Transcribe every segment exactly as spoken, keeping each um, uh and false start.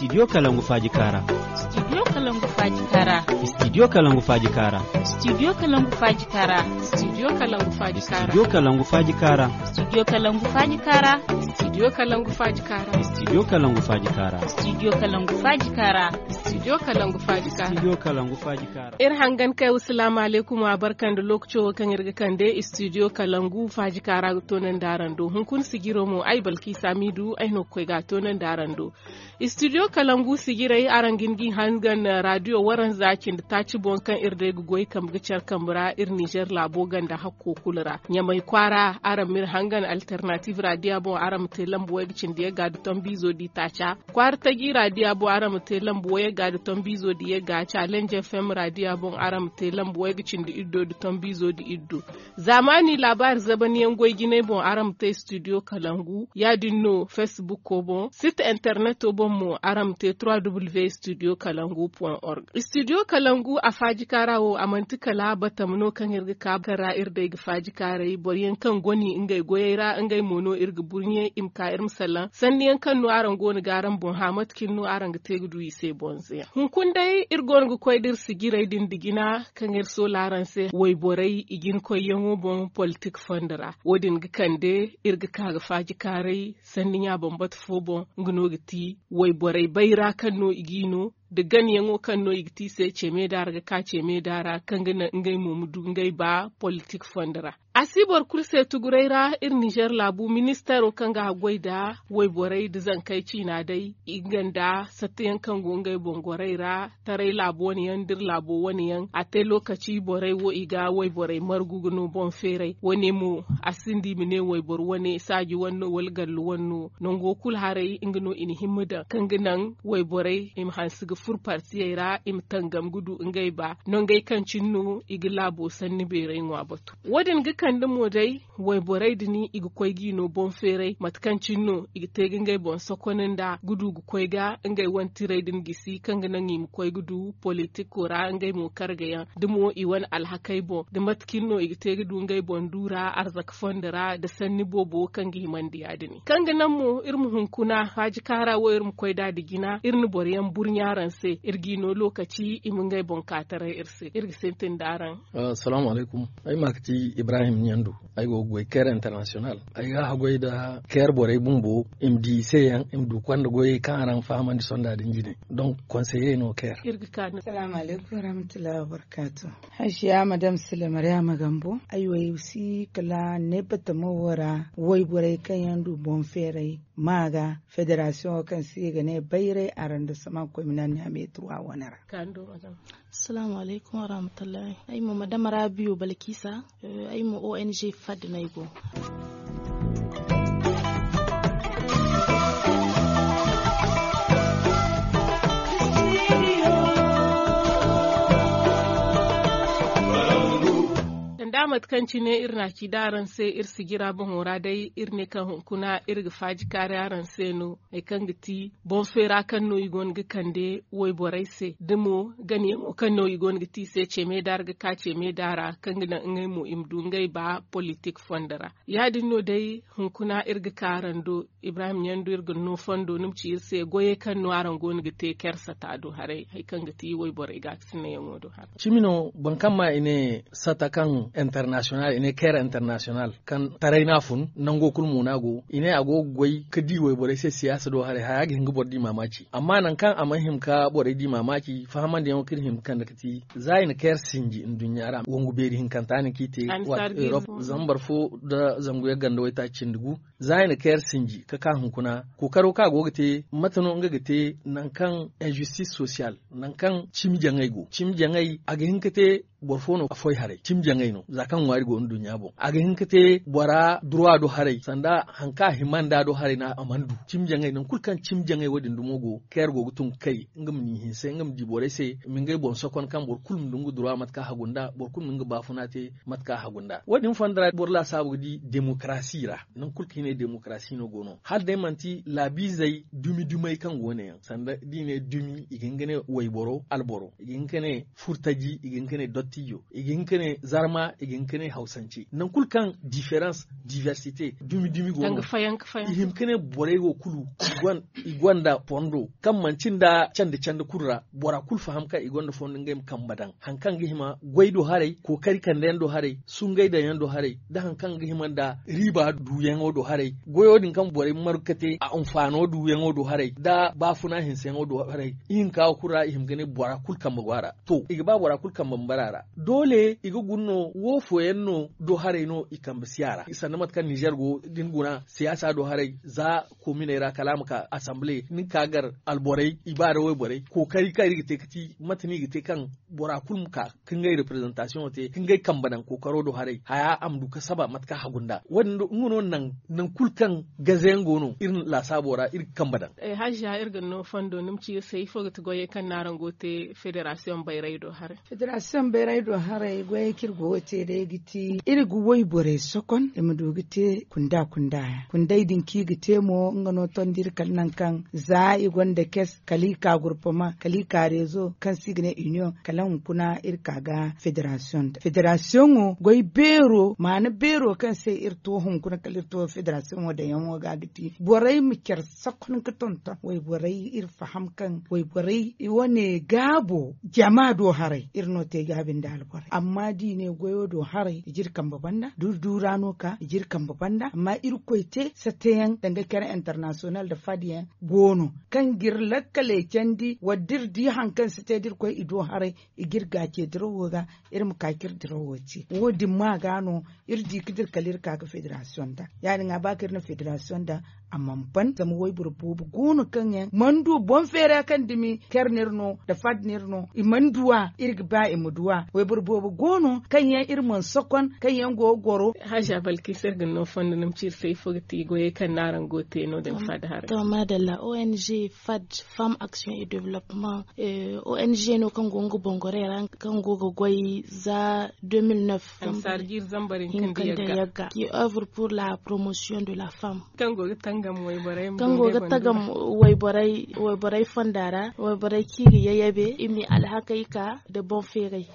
Studio kalangu faaji kaara. Studio kalangu faaji kaara. Studio kalangu faaji kaara. Studio kalangu faaji kaara. Studio kalangu faaji kaara. Studio kalangu faaji kaara. Studio kalangu faaji kaara. Studio kalangu faaji kaara. Studio kalangu faaji kaara. Studio kalangu faaji kaara. Studio kalangu faaji kaara. Studio kalangu faaji kaara. Iri hangan kay wa salaamu alaykum, wa barka nda lookaco wo kaŋ iri ga kande studio kalangu faaji kaara ga toonandi araŋ do. Hunkuna sijiro mo, ay balki samidu ay no ga koy ga a toonandi araŋ do. Studio kalangu sijirey, araŋ ga hin ga i hangan radio waranza cindi taaci boŋ kaŋ iri day ga goy kambe ga care kambe ra iri nizer laabo ganda hakko kulu ra. Ɲamay kwaara, araŋ ma iri hangan alternative radio boŋ, araŋ ma te lambu way ga cindi yagga nda tombiizo di taaca. Kwaara taji radio boŋ, araŋ ma te lambu way yagga nda tombiizo di yagga. Challenge FM radio boŋ, araŋ ma te lambu way ga cindi iddo nda tombiizo di iddo. Zaamaani laabaari zabaniyaŋ goy jinay boŋ, araŋ ma te studio kalangu. Ya-din no facebook boŋ, site interneto boŋ mo, araŋ ma te trois w studio kalangu point org. Studio kalangu a faaji kaara wo, a manti kala batama no kaŋ iri ga ka kaŋ ra iri day ga faaji kaaray boro yaŋ kaŋ goni ngey goyey ra, ngey mo no iri ga burɲe i ma ka iri ma salaŋ sanni yaŋ kaŋ no araŋ go no ga araŋ boŋ hã mate cine no araŋ ga te ga du i se bonze yaŋ. Hunkuna day iri go no ga koy da iri sijirey din da jina kaŋ iri soola araŋ se wayborey i jina koyyaŋo boŋ politik fondo ra. Wo- din ga kande iri ga ka ga faaji kaaray sanni ɲa bambata fo boŋ, nga no ga ti wayborey bayra kaŋ no i g'i no, da ganayaŋo kaŋ no i ga te i se ceeme da ra ga ka ceeme da ra kaŋ ga naŋ ngey mo ma du ngey ba politik fondo ra. A si boro kulu se tuguray ra, iri nizer laabu ministeero kaŋ ga haggoy nda wayborey nda zankey ciina day, i nga nda sattayaŋ kaŋ go ngey boŋ gorey ra, taray laabu wane yaŋ da iri laabo wane yaŋ. A te lookaci borey wo i ga wayborey margu ga no boŋ feeray wane mo, a sinda i ma ne wayboro wane saaji wane no wala gallu wane no. Nango kulu haray nga no i na himma daŋ kaŋ ga naŋ wayborey i ma hanse ga furo partiyey ra, i ma tangam ga du ngey ba nangey kaŋ cine no i ga laabo sanni beeray ŋwa batu. Wo- din ga kande mo day wayborey din i ga koy g'i no boŋ feeray mate kaŋ cine no i ga te ga ngey boŋ sokon nda ga du ga koy ga ngey wane tirey din gisi kaŋ ga naŋ i ma koy ga du politiko ra ngey mo kargayaŋ da mo i wane alhakey boŋ da mate cine no i ga te ga du ngey boŋ du ra arzaka fondo ra da sanni boobo kaŋ ga himandi ya- din kaŋ ga naŋ mo iri ma hunkuna faaji kaara wo iri ma koy nd'a da jina iri na boro yaŋ burɲa araŋ se iri g'i no lookaci i ma ngey boŋ ka taray iri se iri ga sintin nd'araŋ. Salaamu alaykum. Ay ma ka ti ibrahim ɲandu. Ay go ga goy care international. Ay ga haggoy nda care borey bumbo i ma di i se yaŋ i ma du konda goyey kaŋ araŋ fahamandi sonda din jine. Donk konseye no care. Salaamu alaykum warahmatullahi wabarakatu. Hajiya madam sila maryama gambo ay wo ay si kala ne batama wo ra wayborey kaŋ yaŋ du boŋ feeray ma ga federasiyoŋo kaŋ se i ga ne bayray arrondissement communal niamey trois wane ra. Salaamu alaykum warahmatullahi. Ay mo madam rabiyo balkisa. Ay mo ong fadda no ay go. Sanda mate kaŋ cine iri na a ci da araŋ se iri sijira boŋo ra day iri ne kaŋ hunkuna iri ga faaji kaari araŋ se no. Hari kaŋ ga ti boŋ feera kaŋ no i go no ga kande wayborey se da mo ganayaŋo kaŋ no i go no ga te i se ceeme da ra ga ka ceeme da ra kaŋ ga naŋ ngey mo i ma du ngey ba politik fondo ra. Ya- din no day hunkuna iri ga ka araŋ do ibrahim ɲandu iri ga no fondo ni ma ci iri se goyey kaŋ no araŋ go no ga te care sata do haray hari kaŋ ga ti wayborey gaakasinayaŋo do haray. Cimi no boro kaŋ ma i ne sata kaŋ international i ne care international kaŋ taray no a fun nango kulu mo no a go i ne a go ga goy ga di wayborey se siyaasa do haray haya ga hin ga boro di maamaaci amma nangu kaŋ a mana hima ga borey di maamaaci fahamandiyaŋo kaŋ iri hima ga kande ga ti za i na care sinji nduɲɲa ra wangu beeri hinkanta no kaŋ i te waati europe zambar fo nda zangu yaŋ ganda waytaaci cindi gu za i na care sinji ga ka hunkuna kookaro kaŋ a go ga te mate no nga ga te nangu kaŋ injustice social nangu kaŋ cimi jaŋay go cimi jaŋay a ga hin ga te boro fo no a foy haray cimi jaŋay no za kaŋ ŋwaari go nduɲɲa boŋ a ga hin ga te bora duruwa do haray sanda hari kaŋ a hima nda do haray no a mana du cimi jaŋay nangu kulu kaŋ cimi jaŋay wo- din dumo go care go ga tun ga kay nga ma ni hinse nga ma di borey se ma ngey boŋ sokon kaŋ boro kulu ma du nga duruwa mate kaŋ a hagu nda boro kulu ma nga baafuna te mate kaŋ a hagu nda wo- din fondo ra boro laasaabu ga di demokarasi ra nangu kulu kaŋ i ne demokarasi no go no hala day manti laabiizey dumi dumey kaŋ go no yaŋ sanda da i ne dumi i ga hin ga ne wayboro alboro i ga hin ga ne furtaji i ga hin ga ne dottijo i ga hin ga ne zarma i ga hin ga ne hawsance nangu kulu kaŋ diferans diversite dumi dumi go no i hima ga ne borey wo kulu I gonda fondo kaŋ manci nda candi candi kulu ra bora kulu faham kaŋ i gonda fondo ngey ma kambe daŋ hari kaŋ ga hima goy do haray kookari kande yaŋ do haray sungay daŋ yaŋ do haray nda hari kaŋ ga hima nda riiba duuyaŋo do haray goyo din kaŋ borey margu ka te a anfaano duuyaŋo do haray nda baafuna hinseyaŋo do haray. Ihinka wo kulu ra i hima ga ne bora kulu kambe go a ra. To i ga ba bora kulu kambe ma bara a ra. Doole i ga guna no wo fooyaŋ no do haray no i kambe si a ra sanda mate kaŋ ninzeer go da ni guna siyaasa do haray za koominey ra kala a ma ka asanbile ni ga ka gar alborey i ba da wayborey kookari kaŋ iri ga te ga ti mate no i ga te kaŋ bora kulu ma ka ka ngey reprezantasiyoŋo te ka ngey kambe daŋ kookaro do haray haya a ma du ka saba mate kaŋ hagu nd'a wo- din nga no naŋ kulu kaŋ gaze yaŋ go no iri laasaabo ra iri ga kambe daŋ. Hajja iri ga ni no fondo ni ma ci iri se ifo ga ti goyey kaŋ no araŋ go ga te federasiyoŋ bayray do haray? Federasiyoŋ bayray do haray goyey kaŋ iri go ga te day ga ti iri ga wayborey sokon i ma du ga te kunda kunda yaŋ kunday din kaŋ i ga te mo nga no tondi iri kala nangu kaŋ za i gonda kes kala i ka gurpama kala i ka rezo kaŋ se i ga ne iniyoŋ kala hunkuna iri ka ga federasiyoŋ da federasiyoŋo goy beero maana beero kaŋ se iri to hunkuna kala iri to federasiyoŋo daŋyaŋo ga ga ti borey ma care sakon ga tonton wayborey iri faham kaŋ wayborey wane gaabo jama do haray iri no te gaabi nda alborey amma da i ne goyo do haray i jiri kambe banda durdu ra no ka i jiri kambe banda amma irkoy te sateyaŋ danga care internasiyonal nda fadyaŋ go no kaŋ ga iri lakkaley candi wala da iri di hari kaŋ si te da iri koy i do haray i ga iri gaace dirawo ga iri ma ka ka iri dirawo te wo- din ma ga no iri di ka dira kala iri ka ga federasiyoŋ da ya- din a ba kaŋ iri na federasiyoŋ da a mana ban zama wayboro boobo go no kaŋ yaŋ mana du boŋ feera kaŋ dumi care no iri no nda fad no iri no i mana du a iri ga ba i ma du a wayboro boobo go no kaŋ yaŋ iri mana sokon kaŋ yaŋ go ga goro. Hajja balkisa iri ga ni no fondo ni ma ci iri se ifo ga ti goyey kaŋ no araŋ go ga te no- din fad haray? To madalla ong fad femme action et developpement ong no kaŋ go nga boŋ gorey ra kaŋ go ga goy za deux mille neuf ansaari jiiri zambar hinka nda yagga qui œuvre pour la promotion de la femme kaŋ go ga tagam wayborey fonda ra wayborey kaŋ i ga yayabe i ma i alhakey ka nda boŋ feeray.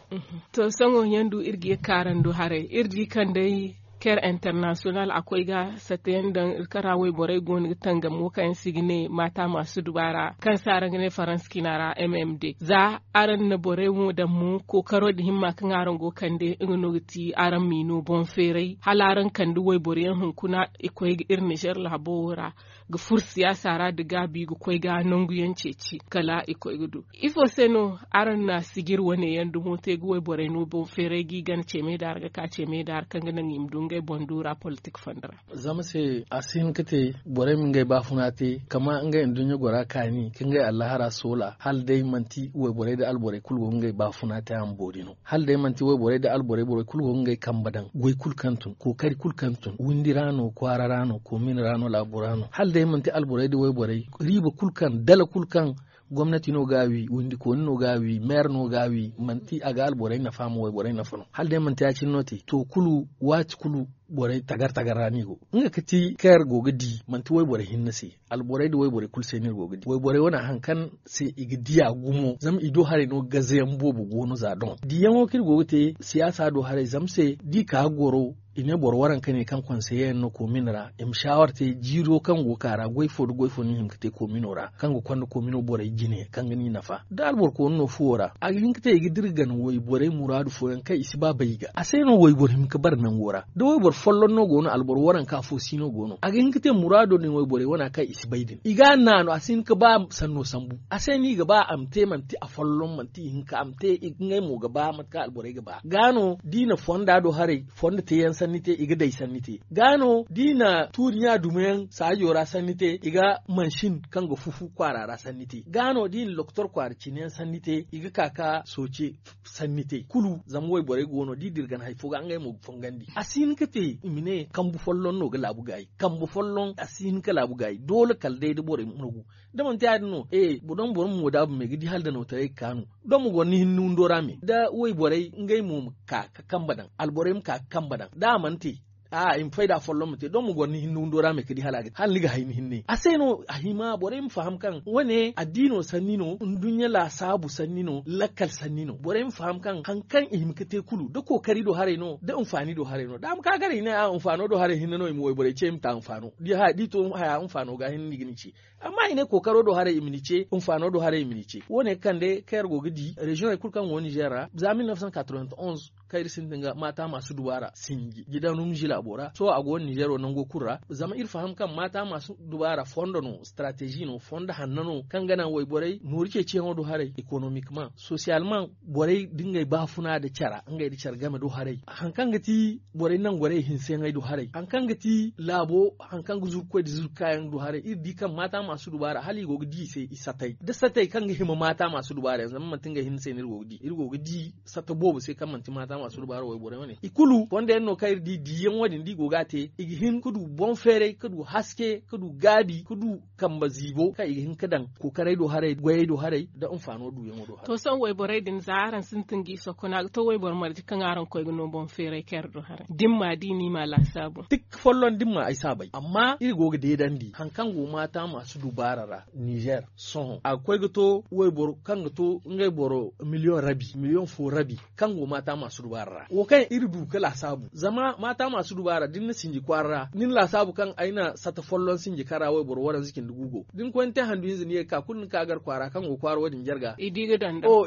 To sohõ yaŋ du iri ga ye kaarando haray iri di kaŋ day care international a koy ga satta yaŋ daŋ iri kara wayborey go no ga tangamo kaŋ yaŋ se i ga ne maata maasu dubaara kaŋ se araŋ ga ne faransa ciina ra m m d za araŋ na borey mo daŋ mo kookaro din himma kaŋ araŋ go ga kande nga no ga ti araŋ m'i no boŋ feeray hala araŋ kande wayboro yaŋ hunkuna i koy ga iri nizer laabo wo ra ga furo siyaasa ra nda gaabi ga koy ga nangu yaŋ ceeci kala i koy ga du ifo se no araŋ na sijir wane yaŋ dumo te ga wayborey no boŋ feeray ga i gana ceemay daara ga ka ceemay daara kaŋ ga naŋ i ma du ngey boŋ du ra politik fondo ra? Zama se a si hin ga te borey ma ngey baafuna te kama ngey nduɲɲa gora kaani ka ngey allahara soola hala day manti wayborey nda alborey kulu go ga ngey baafuna te a ma boori no hala day manti wayborey nda alborey borey kulu go ga ngey kambe daŋ goy kulu kaŋ tun kookari kulu kaŋ tun windi ra no kwaara ra no koomin ra no laabo ra no hala day manti alborey nda wayborey riiba kulu kaŋ dala kulu kaŋ gomnati no ga a wi windikooni no ga a wi meere no ga a wi manti a ga alborey nafa ma wayborey nafa no hala day manti ya- cine no te to kulu waati kulu borey tagar tagar ra no i go nga ga ti care go ga di manti wayborey hinne se alborey nda wayborey kulu se no iri go ga di wayborey wane hari kaŋ se i ga diya gumo zama i do haray no gaze yaŋ boobo go no za doŋ diyaŋo kaŋ iri go ga te siyaasa do haray zama se da i ka ga goro i ne boro waranka ne kaŋ konseye yaŋ no komin ra i ma saawar te jiiro kaŋ go ga ka ra goy fo nda goy fo no i hima ga te komino ra kaŋ ga konda komino borey jine kaŋ ga no i nafa da alboro kooni no fuwo ra a ga hin ga te i ga dira gana wayborey muraadu fooyaŋ kaŋ i si ba bay i ga a se no wayboro hima ga bara nango ra da wayboro folloŋ no go no alboro waranka fo si no go no a ga hin ga te muraado din wayborey wana kaŋ i si bay din i ga a naanu a si hin ga ba sanno sambu a se no i ga ba a ma te manti afolloŋ manti ihinka a ma te ngey mo ga ba mate kaŋ alborey ga ba ga no da i na fonda do haray fondo teeyaŋ sanni te i ga day sanni te ga no da i na tuuri ɲa dumo yaŋ saajo ra sanni te i ga mansin kaŋ ga fufu kwaara ra sanni te ga no da i na lokotor kwaara cine yaŋ sanni te i ga ka ka sooce sanni te kulu zama wayborey go no da i dira gana hari fo ga ngey mo ga fongandi a si hin ga te i ma ne kambu folloŋ no ga laabu gaayi kambu folloŋ a si hin ga laabu gaayi doole kala day da borey ma nagu da manti ya- din no e boro ma boro ma moodaabu me ga di hala danaw taray ga kaanu da ma goro ni hinne windo ra me da wayborey ngey mo ma ka ga kambe daŋ alborey ma ka ga kambe daŋ da a mana te a i ma fayda folloŋ ma te don ma goro ni hinne windo ra me ka di hala a ga te hala ni ga hay ni hinne a se no a hima borey ma faham kaŋ wane addiino sanni no nduɲɲa laasaabu sanni no lakkal sanni no borey ma faham kaŋ hari kaŋ i hima ga te kulu da kookari do haray no da hinfaani do haray no da a ma ka gar i ne a hinfaano do haray hinne no i ma wayborey ce i ma ta hinfaano da i to haya hinfaano ga hinne no i ga ni ce. Amma i ne kookaro do haray i ma ni ce hinfaano do haray i ma ni ce wo- ne ga kande kaŋ iri go ga di reziyoŋey kulu kaŋ go ninzeer ra za mil neef san katroven onz kaŋ iri sintin ga maata maasu dubaara sinji jidanum zilaabo ra sohõ a go ninzeero nango kulu ra zama iri faham kaŋ maata maasu dubaara fondo no sitarateezi no fondo hanno no kaŋ ga naŋ wayborey nooru ceeciyaŋo do haray ekonomikmaŋ sosiyalmaŋ borey nda ngey baafuna nda care ngey nda care game do haray hari kaŋ ga ti borey nangorey hinseyaŋey do haray hari kaŋ ga ti laabo hari kaŋ ga zuru ga koy nda zuru ga kaayaŋ do haray iri di kaŋ maata maasu dubaara hala i go ga di i se i satay da satay kaŋ ga hima maata maasu dubaara yaŋ zama manti ngey hinne se no iri go ga di iri go ga di sata boobo se kaŋ manti maata maasu dubaara wayborey wane i kulu fondo yaŋ no kaŋ iri di diyaŋ wo- din da i go ga a te i ga hin ga du boŋ feeray ga du haske ga du gaabi ga du kambe ziibo kaŋ i ga hin ga daŋ kookaray do haray goyey do haray nda hinfaano duuyaŋo do haray. To sohõ wayborey din za araŋ sintin ga i sokon a ga to wayboro marje kaŋ araŋ koy ga no boŋ feeray care do haray da ni m'a di ni m'a laasaabu. Tik folloŋ da ni m'a ay si a bay amma iri go ga deedandi hari kaŋ go maata maasu dubaara ra ninzeer sohõ a ga koy ga to wayboro kaŋ ga to ngey boro miliyoŋ rabi miliyoŋ fo rabi kaŋ go maata maasu dubaara ra wo kaŋ iri du ga laasaabu zama maata maasu dubaara da ni na sinji kwaara ra ni na laasaabu kaŋ ay na sata folloŋ sinji kaŋ ra wayboro waranza cindi gu go da ni koy ni te handu hinza ni ye ga ka kulu ni ka gar kwaara kaŋ go kwaara wo- din jarga i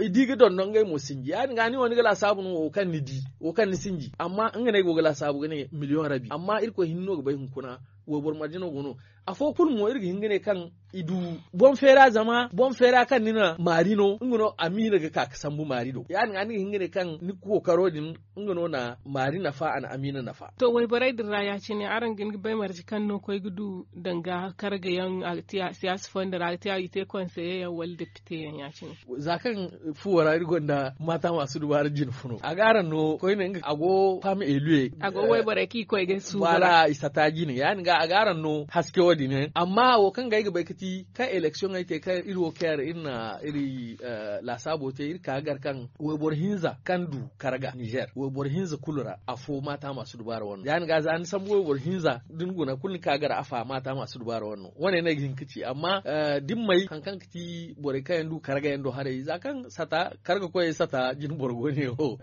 di ga dondon ngey mo sinji ya- din ga ni wo ni ga laasaabu no wo kaŋ ni di wo kaŋ ni sinji amma nga no ay go ga laasaabu ga ne miliyoŋ rabi amma irkoy hinne no ga bay hunkuna wayboro marje no go no afo kulu mo iri ga hin ga ne kaŋ i du boŋ feera zama boŋ feera kaŋ ni na maari no nga no amiina ga ka ga sambu maari do ya- din ga ni ga hin ga ne kaŋ ni kookaro din nga no na maari nafa a na amiina nafa. To wayborey din ra ya- cine araŋ ga hin ga bay marje kaŋ no koy ga du danga karga yaŋ a ga te siyaasa fondo ra a ga te a ga i te konseye yaŋ wala depite yaŋ ya- cine. Za kaŋ fuwo ra iri gonda maata maasu dubaara jine funo a ga araŋ no koyne nga a go faama eluye a go wayborey kaŋ i koy ga suubu ra i sata jine ya- din ga a ga araŋ no haske wo- din yaŋ amma wo kaŋ ga ay ga bay ga ti kaŋ eleksiyoŋey te kaŋ iri wo care iri na iri laasaabo te iri ka ga gar kaŋ wayboro hinza kaŋ du karga ninzeer wayboro hinza kulu ra afo maata maasu dubaara wane no ya- din ga za ni sambu wayboro hinza da ni guna kulu ni ka ga gar afa maata maasu dubaara wane no wane no ay ga hin ga ci amma da ni may hari kaŋ ga ti borey kaŋ yaŋ du karga yaŋ do haray za kaŋ sata karga koyey sata jine boro go ne wo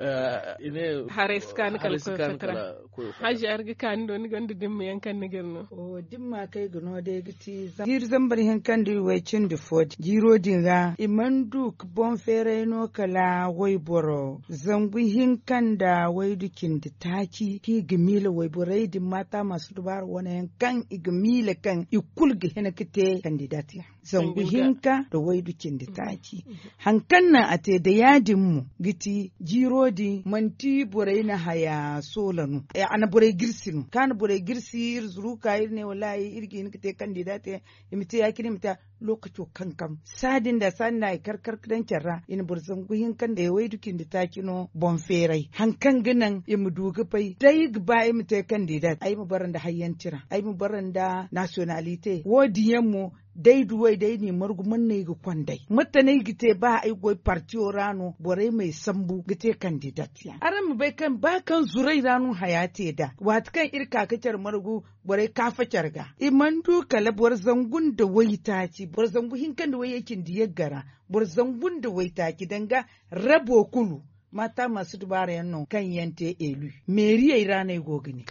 i ne haray si ka ni kala koyo fata ra. Hajji araŋ ga ka ni do ni gonda dimma yaŋ kaŋ ni ga iri no. Dimma kaŋ ay ga no day ga ti jiiri zambar hinka nda way cindi fo din jiiro din ra i mana du ga boŋ feeray no kala wayboro zangu hinka nda waydu cindi taaci kaŋ i ga miila wayborey din maata maasu dubaara wane yaŋ kaŋ i ga miila kaŋ i kulu ga hin ga te kandidat yaŋ zangu hinka nda waydu cindi taaci. Hari kaŋ naŋ a te da ya- din mo ga ti jiiro din manti borey na haya soola no a na borey girsi no kaŋ a na borey girsi iri zuru ka iri ne wallaahi iri ga hin ga te kandidat yaŋ i ma te ya- cine i ma te lookaco kankam saadin da saadin da i kar kar ga daŋ care ra i na boro zangu hinka nda waydu cindi taaci no boŋ feeray hari kaŋ ga naŋ i ma du ga bay day ga ba i ma te kandidat ay ma bara nda hayyanti ra ay ma bara nda nasiyonalite wo- din yaŋ mo day duwey day n'i margu man no ay ga konday mate no ay ga te ba ay goy partiyo ra no borey m'ay sambu ga te kandidat yaŋ araŋ ma bay kaŋ ba kaŋ zuray ra no haya te nd'a waati kaŋ iri ka ga care margu borey kaafa care ga i mana du kala boro zangu nda waytaaci boro zangu hinka nda wayyey cindi yagga ra boro zangu nda waytaaci danga rabo kulu maata maasu dubaara yaŋ no kaŋ yaŋ te eelu meeriyey ra no ay go ga ne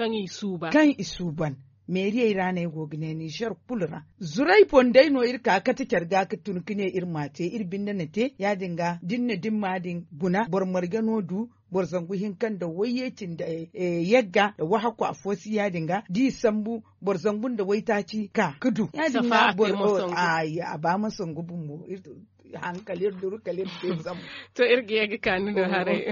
kaŋ i suuban meeriyey ra no ay go ga ne ninzeer kulu ra zuray boŋ day no iri ka kate care ga ga tun ga ne iri m'a te iri binde na te ya- din ga da ni na dimma din guna boro marje no du boro zangu hinka nda wayye cindi yagga nda wahakku afo si ya- din ga da i sambu boro zangu nda waytaaci ka ga du ya- din ga boro a ba ma sangu bumbo haŋ kala iri duru kala iri te zama. To iri ga ye ga ka ni no haray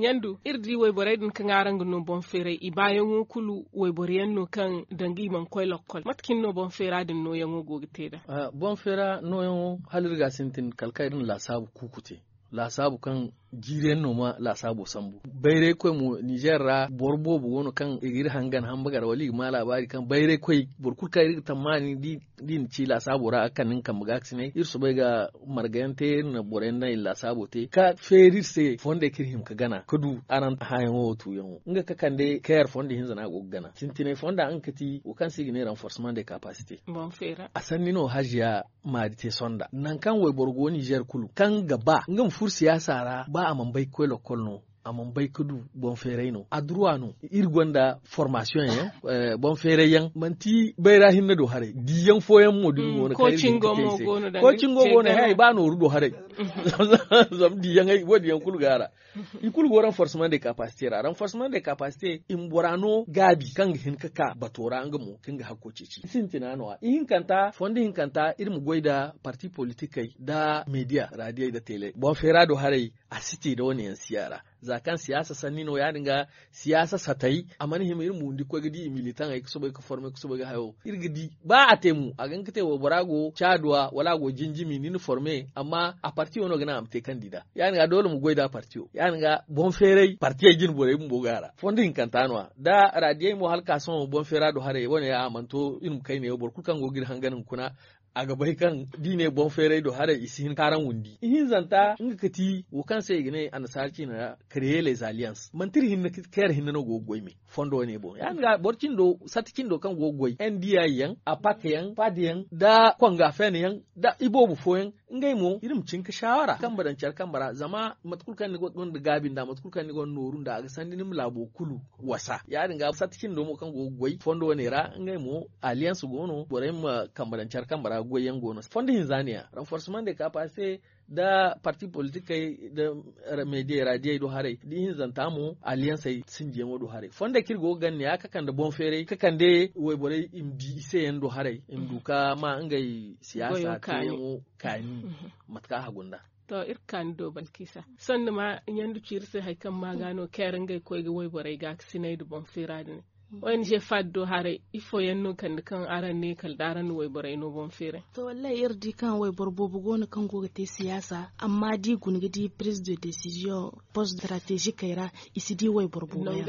ɲandu iri di wayborey din kaŋ araŋ ga no boŋ feeray i baayaŋo kulu wayboro yaŋ no kaŋ danga i mana koy lokkol mate cine no boŋ feera din nooyaŋo go ga te nd'a? Boŋ feera nooyaŋo hala iri ga a sintin kala kaŋ iri na laasaabu kuuku te. Laasaabu kaŋ jiiri yaŋ no ma laasaabo sambu. Bayraykoy mo ninzeer ra boro boobo go no kaŋ i ga iri hangan hamba gar wala i ga ma laabaari kaŋ bayraykoy boro kulu kaŋ iri ga tammaani da i na ci laasaabo ra a ga kande nga kambe ga a ga sinay iri soobay ga marga yaŋ te iri na boro yaŋ naŋ i na laasaabo te ka feeri iri se fondey kaŋ iri hima ga gana ga du araŋ hãayaŋo wo tuuyaŋo nga ga kande kayer fondo hinza no a go ga gana sintinay fonda nga ga ti wo kaŋ se i ga ne ranforseman de kapasite. A sanni no haziya maari te sonda nangu kaŋ wayboro go ninzeer kulu kaŋ ga ba nga ma furo siyaasa ra ba a mana bay ga koy lokkol no a mana bay ga du boŋ feeray no a duruwa no. Iri gonda formasiyoŋ yaŋ boŋ feeray yaŋ manti bayra hinne do haray diiyaŋ fooyaŋ mo da iri go no kaŋ iri ga hin ga te i se. Koocingo go no hẽ ay ba nooru do haray. Zama diiyaŋ ay wo- din yaŋ kulu go a ra. I kulu go ranforseman de kapasite ra ranforseman de kapasite i ma bora no gaabi kaŋ ga hin ga ka bato ra nga mo kaŋ ga hakko ceeci i sintina no- ya ihinkanta fondo hinkanta iri ma goy nda parti politikey nda mediya radiyey nda teeley boŋ feera do haray. A si te nda wane yaŋ si a ra za kaŋ siyaasa sanni no ya- din ga siyaasa satay a mana hima iri ma windi ga koy ga di i militaŋey ga soobay ga forme ga soobay ga hayo iri ga di ba a te mo a ga hin ga te waybora go caaduwa wala a go jinjimi ni na forme amma a parti wo no ga naŋ a ma te kaŋ di nd'a. Ya- din ga doole ma goy nd'a parti wo ya- din ga boŋ feeray partiyey jine borey bumbo go a ra fondo hinkanta no- ya nda radiyey mo hala ka sohõ boŋ feera do haray wane ya a mana to iri ma kay neewo boro kulu kaŋ go ga iri hangan hunkuna. A ga bay kaŋ da i ne boŋ feeray do haray i si hin ga kaaraŋ windi ihinzanta nga ga ti wo kaŋ se i ga ne annasaara ciina ra. Kreye les alliance manti iri hinne kayer hinne no go ga goy me fondo wane boŋ ya- din ga boro cindo sata cindo kaŋ go ga goy n d i yaŋ apak yaŋ pad yaŋ nda konga fen yaŋ nda iboobo fooyaŋ ngey mo iri ma cin ga saawara kambe daŋ care kambe ra zama mate kulu kaŋ ni gonda gaabi nd'a mate kulu kaŋ ni gonda nooru nd'a a ga sanda ni ma laabo kulu wasa ya- din ga sata cindo mo kaŋ go ga goy fondo wane ra ngey mo alliance go no borey ma kambe daŋ care kambe ra ga goy yaŋ go no fondo hinza ne- ya ranforseman de kapasite nda parti politikey nda mediya radiyey do haray da ihinzanta mo alliancey sinjiyaŋo do haray fondey kaŋ iri go ga gana ne- ya ga kande boŋ feeray ga kande wayborey i ma di i se yaŋ do haray i ma du ga ma ngey siyaasa teeyaŋo kaani. Mate kaŋ a hagu nd'a. To iri ga kaani do balkisa sanni ma ɲandu ci iri se hari kaŋ ma ga no kayer ngey koy ga wayborey ga ga sinay nda boŋ feera din. Ong fad do haray ifo yaŋ no kande kaŋ araŋ ne kala da araŋ na wayborey no boŋ feeray? To wallahi iri di kaŋ wayboro boobo go no kaŋ go ga te siyaasa amma da i guna ga di prise de décision post strategikey ra i si di wayboro boobo yaŋ.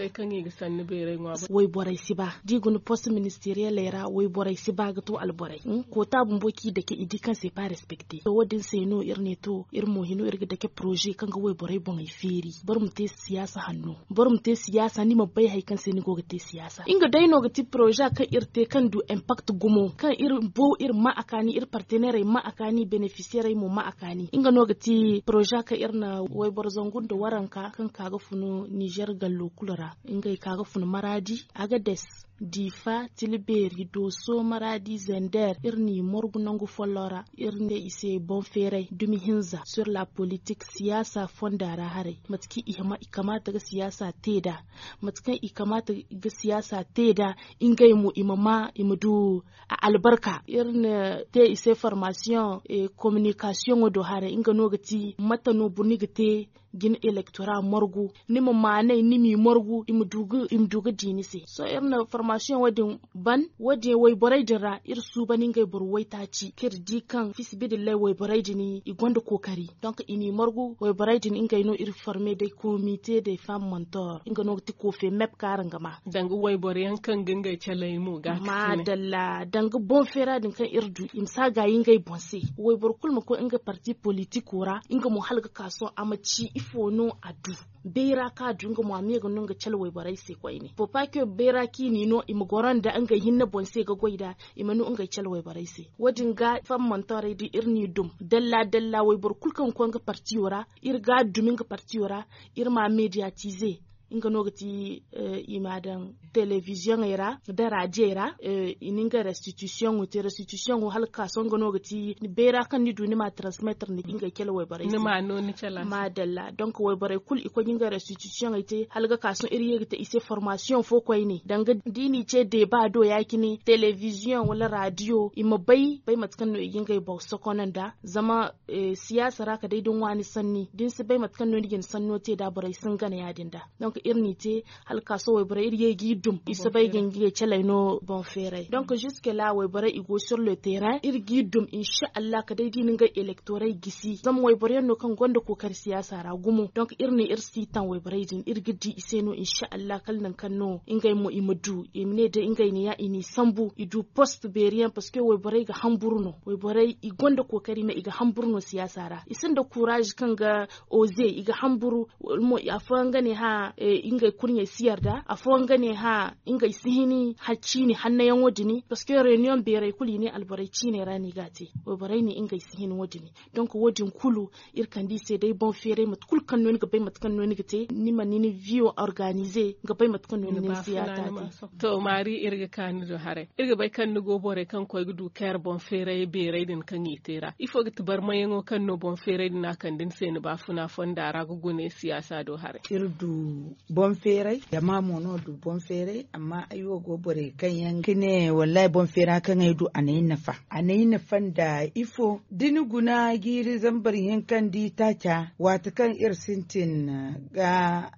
Wayborey si ba da i guna post ministeriyeley ra wayborey si ba ga to alborey. Koota bumbo kaŋ i dake i di kaŋ se pa respecte to wo- din se no iri ne to iri mo hino iri ga dake poroze kaŋ ga wayborey boŋey feeri boro ma te siyaasa hanno. Boro ma te siyaasa ni ma bay hari kaŋ se ni go ga te siyaasa nga day no ga ti poroze kaŋ iri te kaŋ du impakt gumo kaŋ iri bo iri ma a kaani iri partenerey ma a kaani benefisiyerey mo ma a kaani nga no ga ti poroze kaŋ iri na wayboro zangu nda waranka kaŋ ka ga funu nizer gallo kulu ra. Ngey ka ga funu maraadi agades diifa tilbeeri dooso maraadi zender iri n'i morgu nangu folloŋ ra. Iri ne i se boŋ feeray dumi hinza sur la politik siyaasa fonda ra haray mate kaŋ i kamaata ga siyaasa te nd'a mate kaŋ i kamaata ga siyaasa te nd'a ngey mo i ma ma i ma du a albarka. Iri na te i se formasiyoŋ kominikasiyoŋo do haray nga no ga ti mate no boro ni ga te ga ni elektora margu ni ma maanay ni m'i margu i ma du ga di ni se sohõ iri na formasiyoŋ wo- din ban wo- din wayborey din ra iri suubani ngey boro waytaaci kaŋ iri di kaŋ fiisabilillahi wayborey din i gonda kookari. Donk i n'i margu wayborey din ngey no iri forme day komite day fam montor nga no ga ti kofe mep kaŋ araŋ ga ma danga wayboro yaŋ kaŋ ga ngey caley mo ga ga ti ne maadalla danga boŋ feera din kaŋ iri du i ma si a gaayi ngey boŋ se. Wayboro kulu ma koy nga parti politiko ra nga mo hala ga ka sohõ a ma ci ifo no a du bayra kaŋ a du nga mo a ma ye ga no nga cale wayborey se koyne faut pas que bayra kaŋ i n'i no i ma goro nda ngey hinne boŋ se ga goy nd'a i ma no ngey cale wayborey se. Wo- din ga fam montorey da iri n'i dum dalla dalla wayboro kulu kaŋ ga koy nga partiyo ra iri ga a dumi nga partiyo ra iri m'a mediyatize. Nga no ga ti i m'a daŋ televiziyoŋey ra nda radiyey ra i na ngey restitusiyoŋo te restitusiyoŋo hala ga ka sohõ nga no ga ti bayra kaŋ ni du ni m'a transmetre ni ngey cale wayborey se. Maadalla donk wayborey kulu i koy ga ngey restitusiyoŋey te hala ga ka sohõ iri ye ga te i se formasiyoŋ fo koyne danga da i n'i ce deeba do ya- cine televiziyoŋ wala radiyo i ma bay bay mate kaŋ no i ga ngey boŋ sokono nd'a zama siyaasa ra kala day da ni waani sanni da ni si bay mate kaŋ no ni ga ni sanno te nd'a borey si hin gana ya- din nd'a. Iri n'i te hala ka sohõ wayborey iri ye g'i dum i si bay ga ngey caley no boŋ feeray donk ziska la wayborey i go sur le terrain iri g'i dum insa allah ka day da i na ngey elektoray gisi zama wayboro yaŋ no kaŋ gonda kookari siyaasa ra gumo donk iri ne iri si taŋ wayborey din iri ga di i se no insa allah kala nangu kaŋ no ngey mo i ma du i ma ne day ngey ne ya i n'i sambu i du post beeri yaŋ parceque wayborey ga hamburu no wayborey i gonda kookari me i ga hamburu no siyaasa ra i sinda kuuraazi kaŋ ga oze i ga hamburu afooyaŋ ga ne hã ngey kurɲey si yarda afooyaŋ ga ne hã ngey si hin hal ciine hannayaŋo dini parceque reniyoŋ beerey kulu i ne alborey ciiney ra no i g'a te wayborey ne ngey si hin wo- dini donk wo- din kulu iri kande i se day boŋ feeray mate kulu kaŋ no ni ga bay mate kaŋ no ni ga te ni ma ni ni viyo organize ga bay mate kaŋ no ni ni ni siyaata te. To maari iri ga ka ni do haray iri ga bay kaŋ ni go borey kaŋ koy ga du care boŋ feeray beeray din kaŋ i te ra ifo ga ti barmayaŋo kaŋ no boŋ feeray din a kande ni se ni baafuna fonda ra ga gune siyaasa do haray? Iri du boŋ feeray jama mo no du boŋ feeray amma ay wo go borey kaŋ yaŋ ga ne wallahi boŋ feera kaŋ ay du a n'ay nafa a n'ay nafa nda ifo da ni guna jiiri zambar hinka nda itaaca waati kaŋ iri sintin ga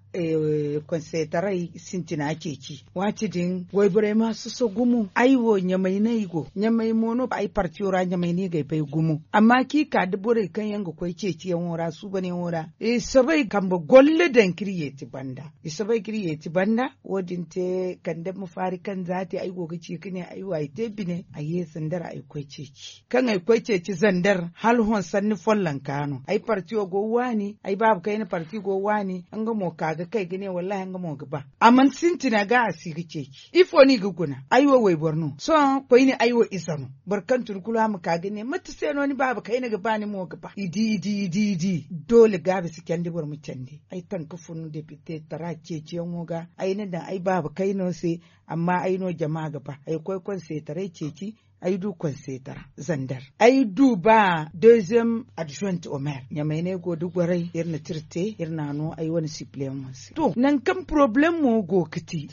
konseetaray sintina ceeci waati din wayborey ma soso gumo ay wo ɲamay no ay go ɲamay mo no ay partiyo ra ɲamay no i g'ay bay gumo amma kaŋ i ka da borey kaŋ yaŋ ga koy ceeciyaŋo ra suubanyaŋo ra i soobay kambe golle daŋ kaŋ iri yeeti banda i soobay kaŋ iri yeeti banda wo- din te kande ma faari kaŋ za te ay go ga ci ga ne ay wo ay te bine ay ye sanda ra ay koy ceeci kaŋ ay koy ceeci zander hala hõ sanni follonka no ay parti wo go waani ay baaba kayna parti go waani nga mo ka ga kay ga ne wallahi nga mo ga ba a mana sintina ga a si ga ceeci ifo no i ga guna ay wo wayboro no sohõ koyne ay wo ize no boro kaŋ tun kulu a ma ka ga ne mate se no ni baaba kayna ga ba ni mo ga ba i di i di i di i di doole gaabi si candi boro ma candi ay taŋ ga fun depite tara ceeciyaŋo ga ay na daŋ ay baaba kayno se amma ay no jama ga ba ay koy konseetaray ceeci ay du konseetara zander ay du ba deuxième adjointe au maire ɲamay no ay go da goray iri na tira te iri na a no ay wane sipleyaŋo se to nangu kaŋ poroblem mo go ga ti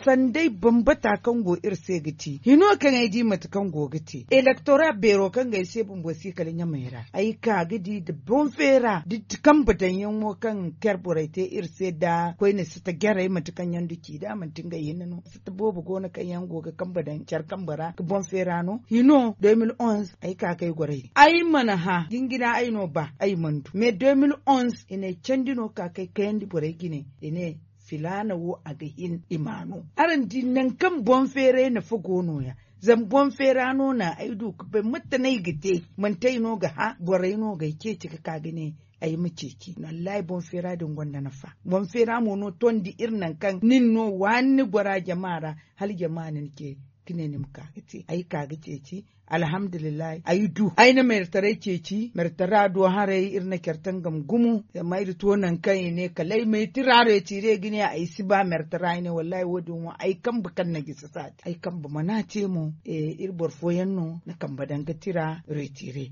sanday bambata kaŋ go iri se ga ti hino kaŋ ay di mate kaŋ go ga te elektora beero kaŋ ga ay se bumbo si kala ɲamay ra ay ka ga di nda boŋ feera da kambe daŋyaŋo kaŋ care borey te iri se nda koyne sata jarey manti kaŋ yaŋ du ci da manti ngey hinne no sata boobo go no kaŋ yaŋ go ga kambe daŋ care kambe ra ga boŋ feera no hino deux mille onze ay ka ga ay goray ay mana hã jingina ay no ba ay mana du mais deux mille onze i n'ay candi no ka ga ay kayandi borey jine i ne filaana wo a ga hin i ma no araŋ di nangu kaŋ boŋ feeray nafa go no- ya zama boŋ feera no na ay du ga bay mate no ay ga te manti ay no ga hã borey no ga ay ceeci ga ka ga ne ay ma ceeci wallaahi boŋ feera din gonda nafa boŋ feera mo no tondi iri nangu kaŋ nin no waani ni gora jama ra hala jama na ni ce ga ne ni ma ka ga te ay ka ga ceeci alhamdulillahi ay du ay na mertaray ceeci mertara do haray iri na care tangam gumo zama iri to nangu kaŋ i ne kala ay ma ay tira reetiire ga ne ay si ba mertara ay ne wallaahi wo- din wo ay kambe kaŋ na gisi saati ay kambe mana te mo iri boro fooyaŋ no na kambe daŋ ga tira reetiire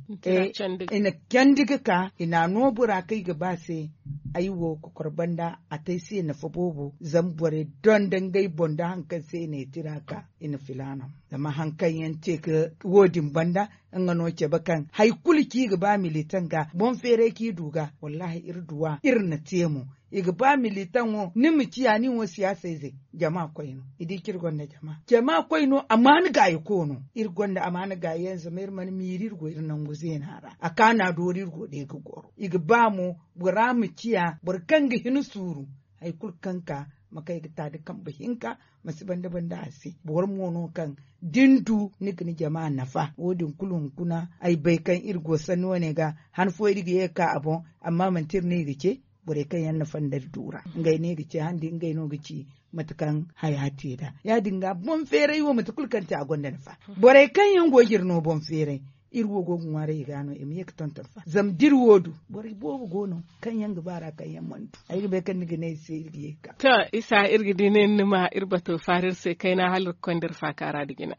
i na candi ga ka i na a no bora kaŋ i ga ba se ay wo kokoro banda a te ay se nafa boobo zama borey donda ngey boŋ nda hari kaŋ se i na ay tira ka i na filaana zama hari kaŋ yaŋ te ga wo- din banda nga no cabe kaŋ hari kulu kaŋ i ga ba militaŋ ga boŋ feeray kaŋ i du ga wallaahi iri duw'a iri na te mo i ga ba militaŋo ni ma ciya nin wo siyaasa ize jama koy no i di kaŋ iri gonda jama jama koy no a ma ni gaayi koono iri gonda a ma ni gaayi yaŋ zama iri mana miiri iri go iri nangu zeena ra a kaana doori iri go day ga goro i ga ba mo bora ma ciya boro kaŋ ga hin suuru hari kulu kaŋ ka ma kay ga ta da kambe hinka ma si banda banda a se boro mo no kaŋ da ni du ni ga ni jama nafa wo- din kulu hunkuna ay bay kaŋ iri go sanni wane ga han fooyaŋ iri ga ye ga ka a boŋ amma manti iri no i ga ce borey kaŋ yaŋ na fanda iri du ra ngey no i ga ce han da ngey no ga ci mate kaŋ haya te nd'a ya- din ga boŋ feeray wo mate kulu kaŋ te a gonda nafa borey kaŋ yaŋ go ga iri no boŋ feeray iri wo go ga ŋwaaray i ga no i ma ye ga tonton fa zama da iri wo du borey boobo go no kaŋ yaŋ ga ba ra kaŋ yaŋ mana du ay ga bay kaŋ ni ga ne ay se iri ga ye ga ka to isa iri ga di ne ni ma iri bato faari iri se kayna hala iri ga konda iri faaka ra nda jina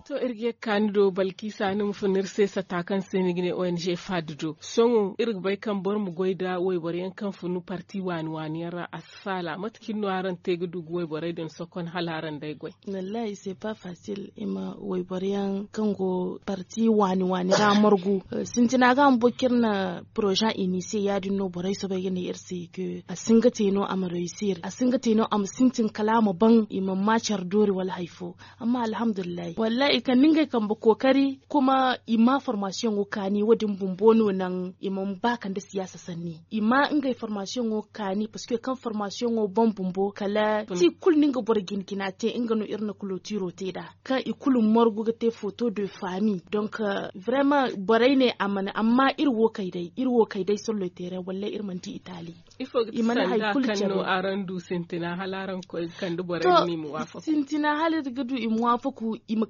to iri ga ye ga kaani do balkiisa ni ma fun iri se sata kaŋ se ni ga ne ong fad do sohõ iri ga bay kaŋ boro ma goy nda wayboro yaŋ kaŋ fun parti waani waani yaŋ ra a si faala mate cine no araŋ te ga du ga wayborey din sokon hala araŋ day goy? Wallahi c'est pas facile i ma wayboro yaŋ kaŋ go parti waani waani ra margu. Sintina ga a ma boro kaŋ iri na projet initier ya- din no borey soobay ga ne iri se ke a si hin ga te no a ma reusir a si hin ga te no a ma sintin kala a ma ban i mana ma care doori wala hari fo. Amma alhamdulillahi wallahi i kande ngey kambe kookari kuma i ma formasiyoŋo kaani wo- din bumbo no naŋ i mana ba kande siyaasa sanni i ma ngey formasiyoŋo kaani parceque kaŋ formasiyoŋo boŋ bumbo kala ti kulu no nga boro jina jina te nga no iri na kulotiro te nd'a kaŋ i kulu margu ga te foto de fami. Donc vraiment borey ne a mana amma iri wo kay day iri wo kay day sollo teere wallay iri mana di itali. I mana hari kulu care no araŋ du sintina hala araŋ ga koy ga kande borey din i ma waafaku. Sintina hala iri ga du i ma waafaku i ma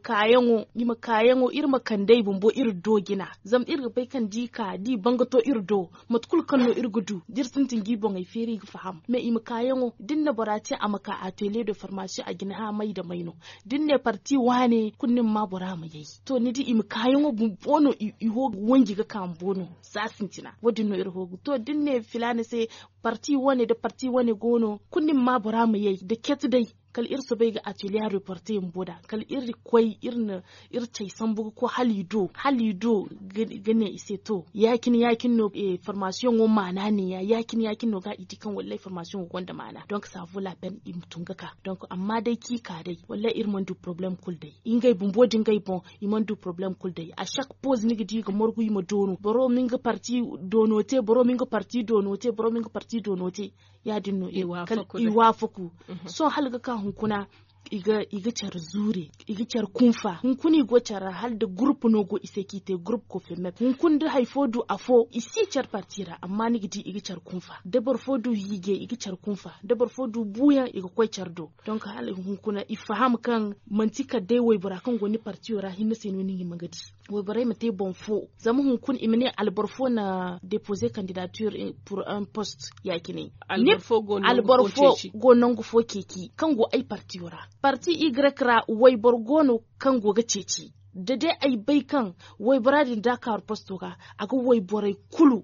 kaayaŋo iri ma kandey bumbo iri do jina. Zama iri ga bay kaŋ da i ka da i banga to iri do mate kulu kaŋ no iri ga du da iri sintin ga i boŋey feeri i ga faham mais i ma kaayaŋo da ni na bora te a ma ka atelier de formation a ga ni hã may nda may no. Da ni ne parti waane kulu ni ma ma bora ma yay to ni di i ma kaayaŋo bumbo no i wo ga wanji ga ka bumbo no. Za sintina wo- din no iri hoogu to da ni ne filaana se parti wane nda parti wane go no kulu ni ma ma bora ma yay nda cete day. Kala iri soobay ga atelier reporter bumbo nd'a kala iri koy iri na iri cay sambu ga koy hala i do hala i do ga ne i se to ya- cine ya- cine no formasiyoŋo maana ne- ya ya- cine ya- cine no ga i di kaŋ wallay formasiyoŋo gonda maana donc ça vaut la peine i ma tun ga ka. Donc amma day kaŋ i ka day wallay iri mana du porobalem kulu day ngey bumbo nda ngey boŋ. I mana du porobalem kulu day a chaque pose ni ga di i ga margu i ma doono boro ma nga parti doono te boro ma nga parti doono te boro ma nga parti doono te. Ya- din no i waafaku sohõ hala ga ka hunkuna i ga care zuure i ga care kunfa hunkuna i go care ra hala da gurupu no go i se kaŋ i te gurupu kofirmet hunkuna da hari fo du afo i si care parti ra amma ni ga di i ga care kunfa da boro fo du hiije i ga care kunfa da boro fo du buuyaŋ i ga koy care do. Donc hala hunkuna i faham kaŋ manti kala day waybora kaŋ go ni partiyo ra hinne se no ni ga hima ga di. Wayborey ma te boŋ fo zama hunkuna i ma ne alboro fo na deposer candidature pour un poste ya- cine alboro fo go nangu fo ceeci kaŋ go ay partiyo ra parti y ra wayboro go no kaŋ go ga ceeci. Da day ay bay kaŋ waybora din da a kaaru posto ga a ga wayborey kulu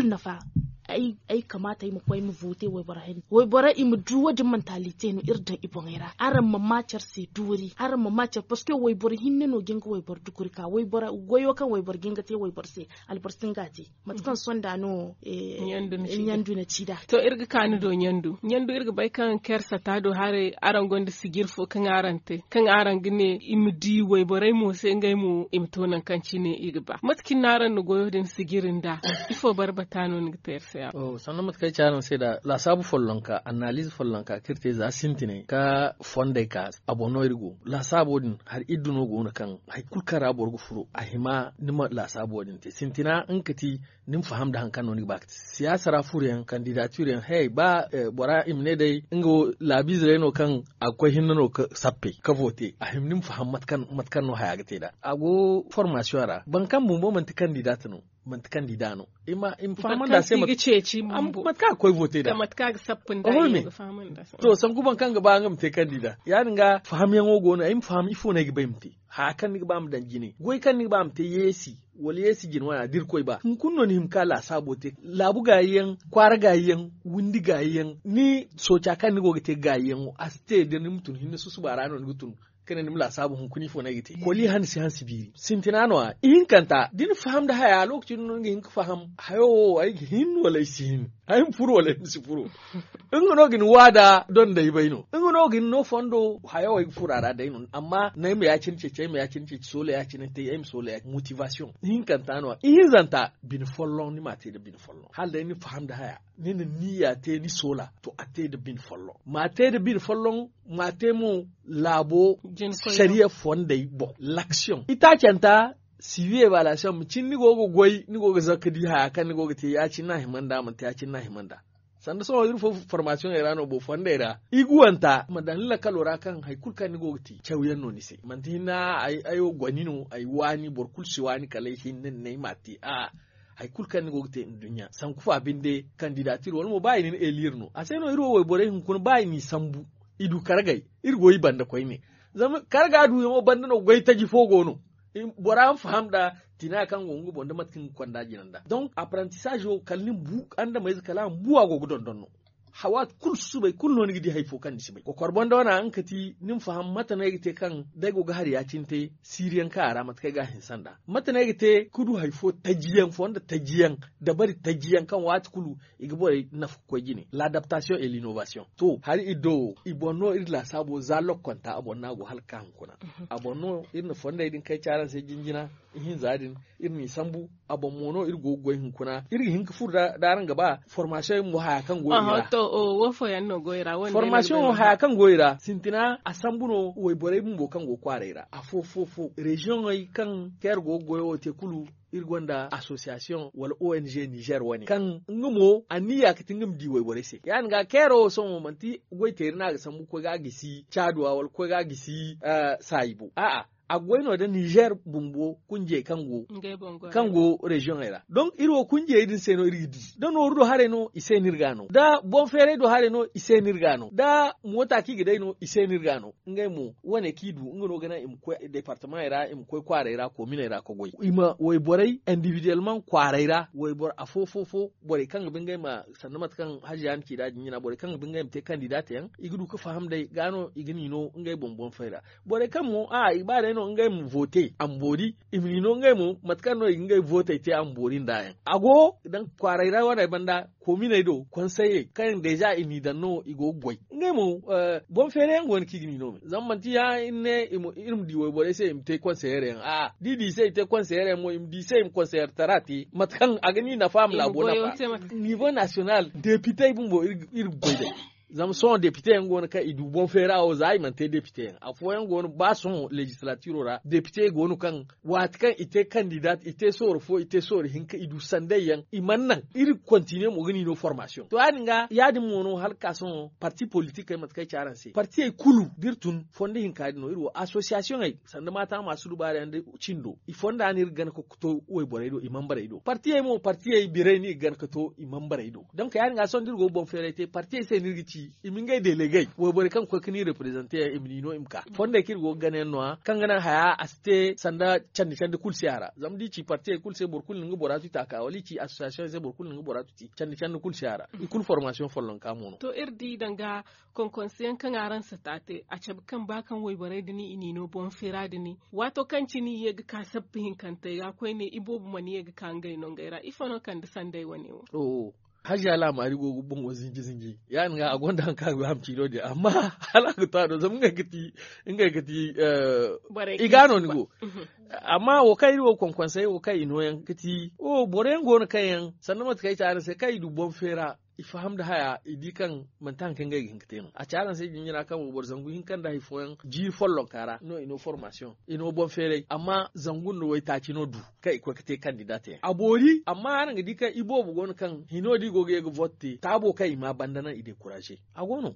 nafa. Ay kamaata ay ma koy ay ma vote waybora hinne waybora i ma du wo- din mentalite no iri daŋ i boŋey ra araŋ ma ma care se doori araŋ ma ma care parceque wayboro hinne no ga nga wayboro dukuri ka wayboro goyo kaŋ wayboro ga nga te wayboro se. Alboro si nga te mate kaŋ sonda no ɲandu na ci nd'a. To iri ga ka ni do ɲandu ɲandu iri ga bay kaŋ care sata do haray araŋ gonda sijir fo kaŋ araŋ te kaŋ araŋ ga ne i ma di wayborey mo se ngey mo i ma to nangu kaŋ cine i ga ba mate cine no araŋ na goyo din sijiri nd'a? Ifo barbata no ni ga te iri se a sanno mate kaŋ ay ci araŋ se nd'a laasaabu follonka annaaliize follonka kaŋ iri te za sintinay ka fondey ka a boŋ no iri go laasaabo din hari iddu no go no kaŋ hari kulu kaŋ ra boro ga furo a hima ni ma laasaabo din te sintina nga ka ti ni ma faham nda hari kaŋ no ni ga ba ga te siyaasa ra furo yaŋ kandidatir yaŋ hey ba bora i ma ne day nga wo laabiize day no kaŋ a ga koy hinne no ga sappey ka vote a hima ni ma faham mate kaŋ no haya ga te nd'a a go formasiyoŋ ra boro kaŋ bumbo manti kandida no manti kandida no i ma fahamandi a se mate kaŋ a ga koy vote nd'a. To sanku boro kaŋ ga ba nga ma te kandida ya- din ga fahamyaŋo go no ay ma faham ifo no ay ga ba ay ma te haya kaŋ ni ga ba ma daŋ jine goy kaŋ ni ga ba ma te yeesi wala yeesi jine wane a da irkoy ba hunkuna no ni hima ka laasaabo te laabu gaayi yaŋ kwaara gaayi yaŋ windi gaayi yaŋ ni sooca kaŋ ni go ga te gaayi yaŋo a si te da ni ma tun hinne susuba ra no ni ga tun. Ka ne ni ma laasaabu hunkuna ifo no ay ga te koli hansi hansi biiri sintina no- ya ihinkanta da ni faham nda haya lokaci din no ni ga hin ga faham hayo wo ay ga hin wala ay si hin ay ma furo wala ay ma si furo. Nga no ga ni waada donda ay bay no nga no ga ni no fondo hayo ay ga furo a ra day no amma no ay ma ya- cine ceeci ay ma ya- cine ceeci soola ya- cine te ay ma soola ya- cine motivasiyoŋ ihinkanta no- ya ihinzanta bine folloŋ ni ma a te nda bine folloŋ hala day ni faham nda haya ni na niya te ni soola to a te nda bine folloŋ ma a te nda bine folloŋ ma a te mo laabo sariya fondey boŋ laksiyoŋ itaacanta siwi evaluation ma cin ni go ga goy ni go ga zakka di haya kaŋ ni go ga te ya- cine no a hima nd'a manti ya- cine no a hima nd'a. Sanda sohõ iri fo formasiyoŋey ra no boro fondey ra iguwanta ma daŋ ni lakkalo ra kaŋ hari kulu kaŋ ni go ga te cawyaŋ no ni se manti hinne ay wo goni no ay waani boro kulu si waani kala ay hinne ni ne ay m'a te a'a. Hari kulu kaŋ ni go ga te nduɲɲa sanku fa binde kandidatir wala mo ba i na ni elire no a se no iri wo wayborey hunkuna ba i n'i sambu i du kargey iri go i banda koyne. Zama karga duyaŋo banda no goytaji fo go no. Bora ma faham nda tina kaŋ go nga boŋ da mate kaŋ ga konda jina nda donc apprentissage wo kala ni ma bu andameyze kala a ma bu a go ga dondon no. Waati kulu susubay kulu no ni ga di hari fo kaŋ ni si bay kokor boŋ da wane a nga kati ni ma faham mate no ay ga te kaŋ da ay go ga hari ya- cine te siiriyaŋ kaŋ a ra mate kaŋ ay ga a hinse nd'a mate no ay ga te ka du hari fo taji yaŋ fondo taji yaŋ dabari taji yaŋ kaŋ waati kulu i ga borey nafa ga koy jine l'adaptation et l'innovation to hari iri do wo i boŋ no iri laasaabo za lokkonta a boŋ no a go hala ga ka hunkuna a boŋ no iri na fondey din kay ci araŋ se jinjina ihinza din iri n'i sambu a boŋ mo no iri go ga goy hunkuna iri ga hin ga furo da araŋ ga ba formation mo haya kaŋ go i ra to wo fooyaŋ no go i ra formation haya kaŋ go i ra sintina a sambu no wayborey bumbo kaŋ go kwaaray ra afo fo fo reziyoŋey kaŋ kaŋ iri go ga goyo wo te kulu iri gonda association wala ong niger wane kaŋ nga mo anniya ga ti nga ma di wayborey se ya- din ga kairo wo sohõ manti goyteeri no a ga sambu ga koy ga a gisi caaduwa wala ga koy ga a gisi saayi boŋ a'a a ga goy no da niger bumbo kunjey kaŋ go reziyoŋey ra donk iri wo kunjey din se no iri ga di da nooru do haray no i se no iri ga a no da boŋ feeray do haray no i se no iri ga a no da moota kaŋ i ga day no i se no iri ga a no ngey mo wane kaŋ i du nga no ga naŋ i ma koy departamaŋey ra i ma koy kwaaray ra kominey ra ka goy i ma wayborey individuellement kwaaray ra wayboro afo fo fo borey kaŋ ga ba ngey ma sanda mate kaŋ haziya ni ci nd'a jinjina borey kaŋ ga ba ngey ma te kandida te yaŋ i ga du ga faham day ga no i ga n'i no ngey boŋ boŋ fay ra borey kaŋ mo a'a i ga ba day no ngey ma vote a ma boori i ma n'i no ngey mo mate kaŋ no i ga ngey vootey te a ma boori nd'a yaŋ a go daŋ kwaaray ra wane banda kominey do konseyey kaŋ yaŋ deeza i n'i daŋ no i go ga goy ngey mo boŋ feere yaŋ go no kaŋ i ga n'i no me zama manti ya iri ne iri ma di wayborey se i ma te konseyer yaŋ a'a da i di i se i te konseyer yaŋ mo i ma di i se i ma konseyer tara te mate kaŋ a ga ni nafa a ma laabo nafa nivo nasiyonal depitey bumbo iri ga goy day zama sohõ depite yaŋ go no kaŋ i du boŋ feera wo za i mana te depite yaŋ afooyaŋ go no ba sohõ legislatiro ra depite go no kaŋ waati kaŋ i te kandidat i te sooro fo i te sooro hinka i du sanday yaŋ i mana naŋ iri ga kontiniye mo ga ni no formasiyoŋ to ya- din ga ya- din mo no hala ga ka sohõ parti politikey mate kaŋ ay ci araŋ se partiyey kulu da iri tun fondo hinka din no iri wo asosiyasiyoŋey sanda maata ma sudubaari yaŋ da cindo i fonda no iri ga gana ka to wayborey do i manbarey do partiyey mo partiyey birey no i ga gana ka to i manbarey do donc ya- din ga sohõ da iri go ga boŋ feeray te partiyey se no iri ga ci i ma ngey delegey wayborey kaŋ ga koy ga ni reprezante yaŋ i ma ni no i ma ka fondey kaŋ iri go ga gana yaŋ no- ya kaŋ ga naŋ haya a si te sanda candi candi kulu si a ra zama da i ci partiyey kulu se boro kulu na nga bora tuti a ka wala i ci asosiyasiyoŋey se boro kulu na nga bora tuti candi candi kulu si a ra i kulu formasiyoŋ follonka mo no to iri di danga konkonse yaŋ kaŋ araŋ si taate a cabe kaŋ ba kaŋ wayborey din i n'i no boŋ feera din waato kaŋ cine i ye ga ka sappa hinkantey ga koyne iboobo mana ye ga ka ngey nongey ra ifo no kande sanday wane wo hajiya laamaari go ga boŋo zinji zinji ya- din ga a gonda haŋ kaŋ a ga ba a ma ci no- din amma hala a ga to a do zama ngey ga ti ngey ga ti i ga no ni go amma wo kaŋ iri wo konkonsey wo kaŋ i nooyaŋ ga ti wo boro yaŋ go no kaŋ yaŋ sanda mate kaŋ ay ci araŋ se kaŋ i du boŋ feera i faham nda haya i di kaŋ manti hari kaŋ ngey ga hin ga te no a ci araŋ se jinjina kaŋ wayboro zangu hinka nda hari fooyaŋ jiiri follonka ra no i no formasiyoŋ i no boŋ feeray amma zangu nda waytaaci no du kaŋ i koy ga te kandida te yaŋ a boori amma araŋ ga di kaŋ iboobo go no kaŋ hino da i go ga ye ga vote te taabo kaŋ i ma banda naŋ i dekuraze a go no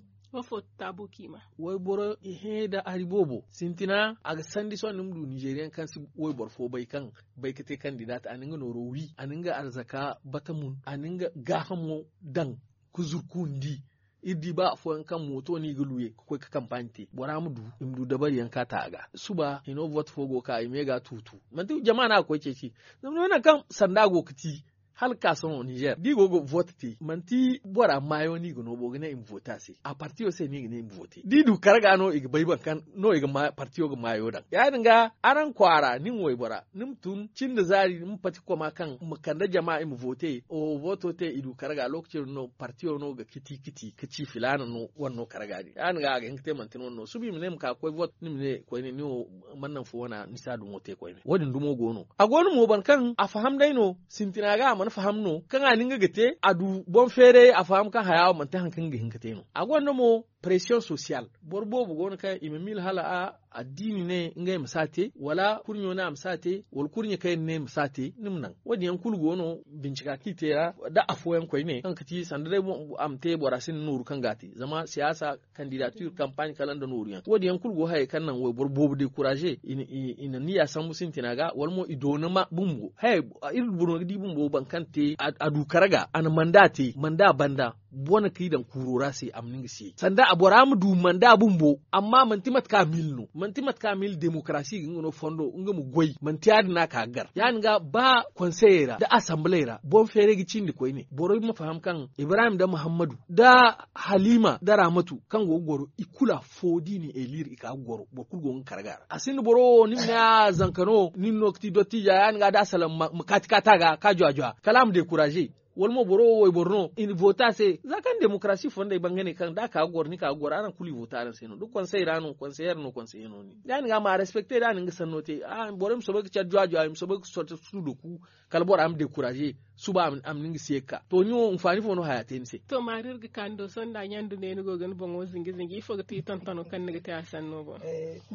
wayboro i hẽ nda hari boobo sintina a ga sandi sohõ ni ma du nizeriyaŋ kaŋ si wayboro fo bay kaŋ bay ga te kandida te a na nga nooro wi a na nga arzaka bata mun a na nga gaahamo daŋ ga zurkundi iri di ba afooyaŋ kaŋ mooto no i ga luye ga koy ga kampaaɲe te bora ma du i ma du dabariyaŋ ka ta a ga suba hino vote fo go ga ka i me ga a tuutu manti jama no a ga koy ceeci zama no naŋ kaŋ sanda go ga ti hala ga ka sohõ nizer da i go ga vote te manti bora maayo no i ga no bo ga ne i ma vote a se a partiyo se no i ga ne i ma vote da i du karga no i ga bay boro kaŋ no i ga partiyo ga maayo daŋ ya- din ga araŋ kwaara ni ma waybora ni ma tun cin da zaari ni ma pati koma kaŋ ma kande jama i ma vote oho voto te i du karga lokaci din no partiyo no ga kiti kiti ga ci filaana no wane no karga din ya- din ga a ga hin ga te manti ni wane no suba i ma ne ma ka ga koy vote ni ma ne koyne ni wo mana naŋ fo wana ni si a dumo te koyne wo- din dumo go no a go no mo boro kaŋ a faham day no sintina ga a mana faham no kaŋ a na nga ga te a du boŋ feeray a faham kaŋ haya wo manti hari kaŋ nga ga hin ga te no a gonda mo presiyoŋ sosiyal boro boobo go no kaŋ i ma miila hala a addiini ne ngey ma si a te wala kurɲo ne a ma si a te wala kurɲe kaŋ yaŋ ne ma si a te ni ma naŋ wo- din yaŋ kulu go no bincika kaŋ i te ra da afooyaŋ koyne kaŋ ga ti sanda day a ma te bora sinda nooru kaŋ ga a te zama siyaasa kandidatir kampaaɲe kala nda nooru yaŋ wo- din yaŋ kulu go hayey kaŋ naŋ wayboro boobo dekuraze i na niya sambu sintina ga wala mo i doona ma bumbo hayey iri boro ga di bumbo boro kaŋ te a du karga a na manda te manda banda bone kaŋ i daŋ kuuro ra se a ma ne nga se sanda a bora ma du manda bumbo. Amma manti mate kaŋ a miila no manti mate kaŋ a miila demokarasi ga nga no fondo nga ma goy manti ya- din no a ka ga gar ya- din ga ba konseyey ra nda asambaley ra boŋ feeray ga cindi koyne borey ma faham kaŋ ibrahim nda muhammadu nda halima nda raamatu kaŋ go ga goro i kulu afo da i na eliir i ka ga goro boro kulu go ga karga ra a sinda boro wo ni ma ne a zanka no nin no ga ti dottija ya- din ga da a salaŋ ma kaati kaati a ga ka jwa jwa kala a ma dekuraze. Wala mo boro wo wayboro no i na voota se za kaŋ demokarasi fondey bangane kaŋ da a ka ga goro ni ka ga goro araŋ kulu i voota araŋ se no da konsey ra no konseyer no konseye no ni ya- din ga ma a respekte da a na nga sanno te. Borey ma soobay ga care jwa jwa i ma soobay ga sorte suudo ku kala bora ma dekuraze suba a ma ni nga se ga ka to ni wo hinfaani fo no haya te ni se. To maari iri ga ka ni do sohõ nda ɲandu ne ni go ga ni boŋo zinji zinji ifo ga ti tontono kaŋ ni ga te a sanno boŋ?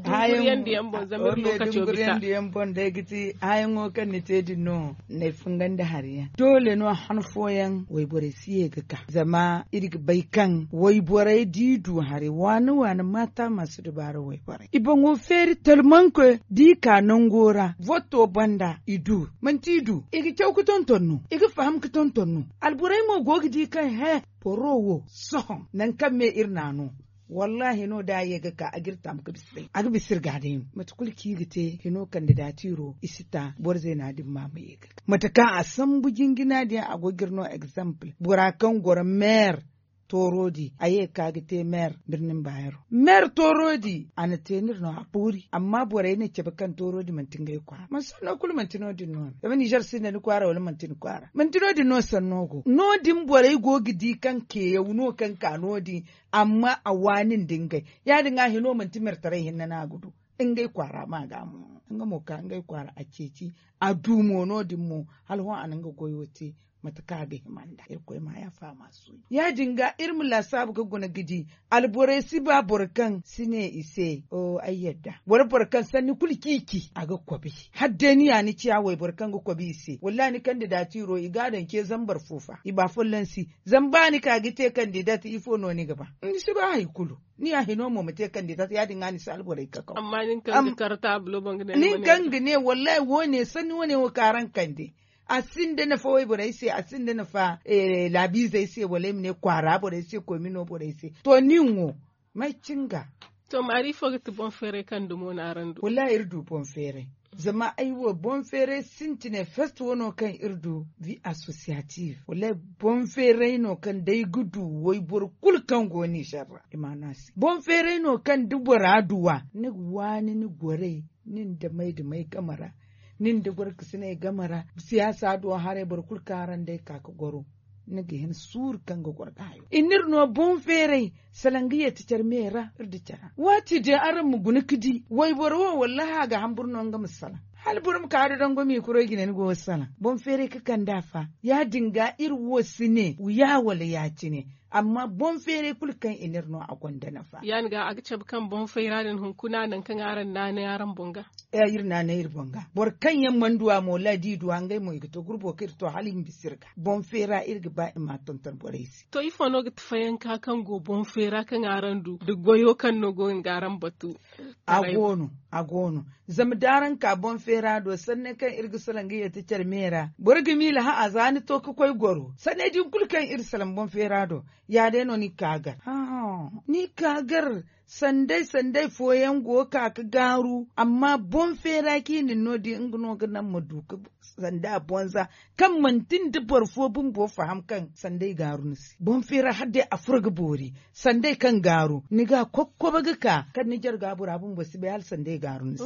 Dunguriyandiyaŋ boŋ zama iri lokaco bisa. Dunguriyandiyaŋ boŋ day ga ti hayaŋo kaŋ ni te din no. N'ay fungandi hari yaŋ doole no han fooyaŋ wayborey si ye ga ka zama iri ga bay kaŋ wayborey da i du hari waani waani maata ma si dubaara wayborey i boŋo feeri talmanko da i ka nango ra voto banda i du manti i du i ga caw ga tonton no i ga faham ga tonton no. Alborey mo go ga di kaŋ he boro wo sohõ nangu kaŋ me iri n'a no. Wallaahi no da a ye ga ka a ga iri taamu ga bisa day a ga bisa iri ga day no mate kulu kaŋ i ga te hino kandida tiiro i si ta boro zeena din ma ma ye ga ka mate kaŋ a sambu jinjina din a go ga iri no egzample bora kaŋ goro meer tooro di a ye ga ka ga te meer birnin baayero meer tooro di a na te no iri no a boori amma borey na cabe kaŋ tooro di manti ngey kwaara manti no- din no- din no zama nizer sinda ni kwaara wala manti ni kwaara manti no- din no sanno go no- din borey go ga di kaŋ keeyaw no kaŋ ka no- din amma a waani nda ngey ya- din ga hino manti meertaray hinne no a ga du ngey kwaara ma ga mo nga mo ka ngey kwaara a ceeci a du mo no- din mo hala hõ a na nga goyo te mate kaŋ a ga hima nda irkoy ma yaafa ma suuyi ya- din ga iri ma laasaabu ga guna ga di alborey si ba boro kaŋ si ne i se o ay yadda wala boro kaŋ sanni kulu ciici a ga kobi hala day ni ya ni ciya wayboro kaŋ ga kobi i se wallaahi ni kandida tiiro i ga a daŋ ce zambar fo fa i ba folloŋ si zama ba ni ka ga te kandidat ifo no ni ga ba ni si ba hari kulu ni ya hino mo ma te kandidat ya- din ga ni si alborey kakaw amma nin kaŋ ga kar taabulo boŋ ga ne nin kaŋ ga ne wallaahi wo- ne sanni wo- ne wo kaŋ araŋ kande a sinda nafa wayborey se a sinda nafa laabiizey se wala ay ma ne kwaara borey se koomino borey se to nin wo may cinga to maari ifo ga ti boŋ feeray kaŋ dumo no araŋ du wallaahi iri du boŋ feeray zama ay wo boŋ feeray sintinay fest wano kaŋ iri du vi associative wallaahi boŋ feeray no kaŋ day ga du wayboro kulu kaŋ go nizer ra i ma no a se boŋ feeray no kaŋ da bora duwa ni ga waani ni goray nin da may da may game ra nin da gorkasiney game ra siyaasa do haray boro kulu kaŋ araŋ day ka ga goro ni ga hin suuru kaŋ ga goro ga hayo i n'iri no boŋ feeray salaŋ ga yeeti care me ra iri da care waati din araŋ ma guna ga di wayboro wo wallaahi a ga hamburu no nga ma salaŋ hala boro ma ka da dango miikurey jine ni go ga salaŋ boŋ feeray ga kand'a fa ya- din ga iri wo si ne ya wala ya- cine amma boŋ feeray kulu kaŋ i n'iri no a gonda nafa ya- din ga a ga cabe kaŋ boŋ feera din hunkuna nangu kaŋ araŋ naanay araŋ boŋ ga iri naanay iri boŋ ga boro kaŋ yaŋ mana du a mo wallaahi da i du a ngey mo i ga to gurbo kaŋ iri to hala i ma bisa iri ga boŋ feera iri ga ba i ma a tonton borey se to ifo no ga ti fayanka kaŋ go boŋ feera kaŋ araŋ du nda goyo kaŋ no go ga nga araŋ batu a go no a go no zama da araŋ ka boŋ feera do sanni kaŋ iri ga salaŋ ga yeeti care me ra boro ga miila hã a za ni to ga koy goro sanney din kulu kaŋ iri salaŋ boŋ feera do ya- day no ni ga ka gar ni ga ka gar sanday sanday fooyaŋ go ga ka ga gaaru amma boŋ feera kaŋ i na ni no- din nga no ga naŋ ma du ga sanda a bonza kaŋ manti nda boro fo bumbo faham kaŋ sanday gaaru ni se boŋ feera hala day a furo ga boori sanday kaŋ gaaru ni ga a kokkoba ga ka kaŋ ni jarga bora bumbo si bay hala sanday gaaru ni se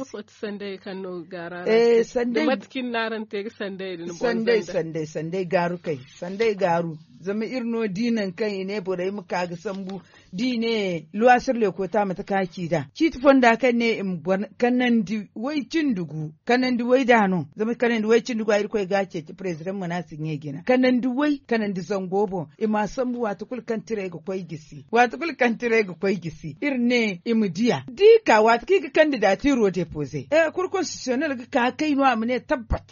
sanday sanday sanday gaaru kay sanday gaaru zama iri no di nangu kaŋ i ne borey ma ka ga sambu da i ne luwasir lekoota mate kaŋ a ci nd'a ciiti fonda kaŋ ne i ma boro kanandi way cindi gu kanandi way da no zama kanandi way cindi gu a irkoy ga a ceeci president mana si ɲey jina kanandi way kanandi zango boŋ i ma a sambu waati kulu kaŋ tirey ga koy gisi waati kulu kaŋ tirey ga koy gisi iri ne i ma diya da i ka waati kaŋ i ga kandida tiiro depoze kur konsititiyonel ga ka kay no a ma ne tabbat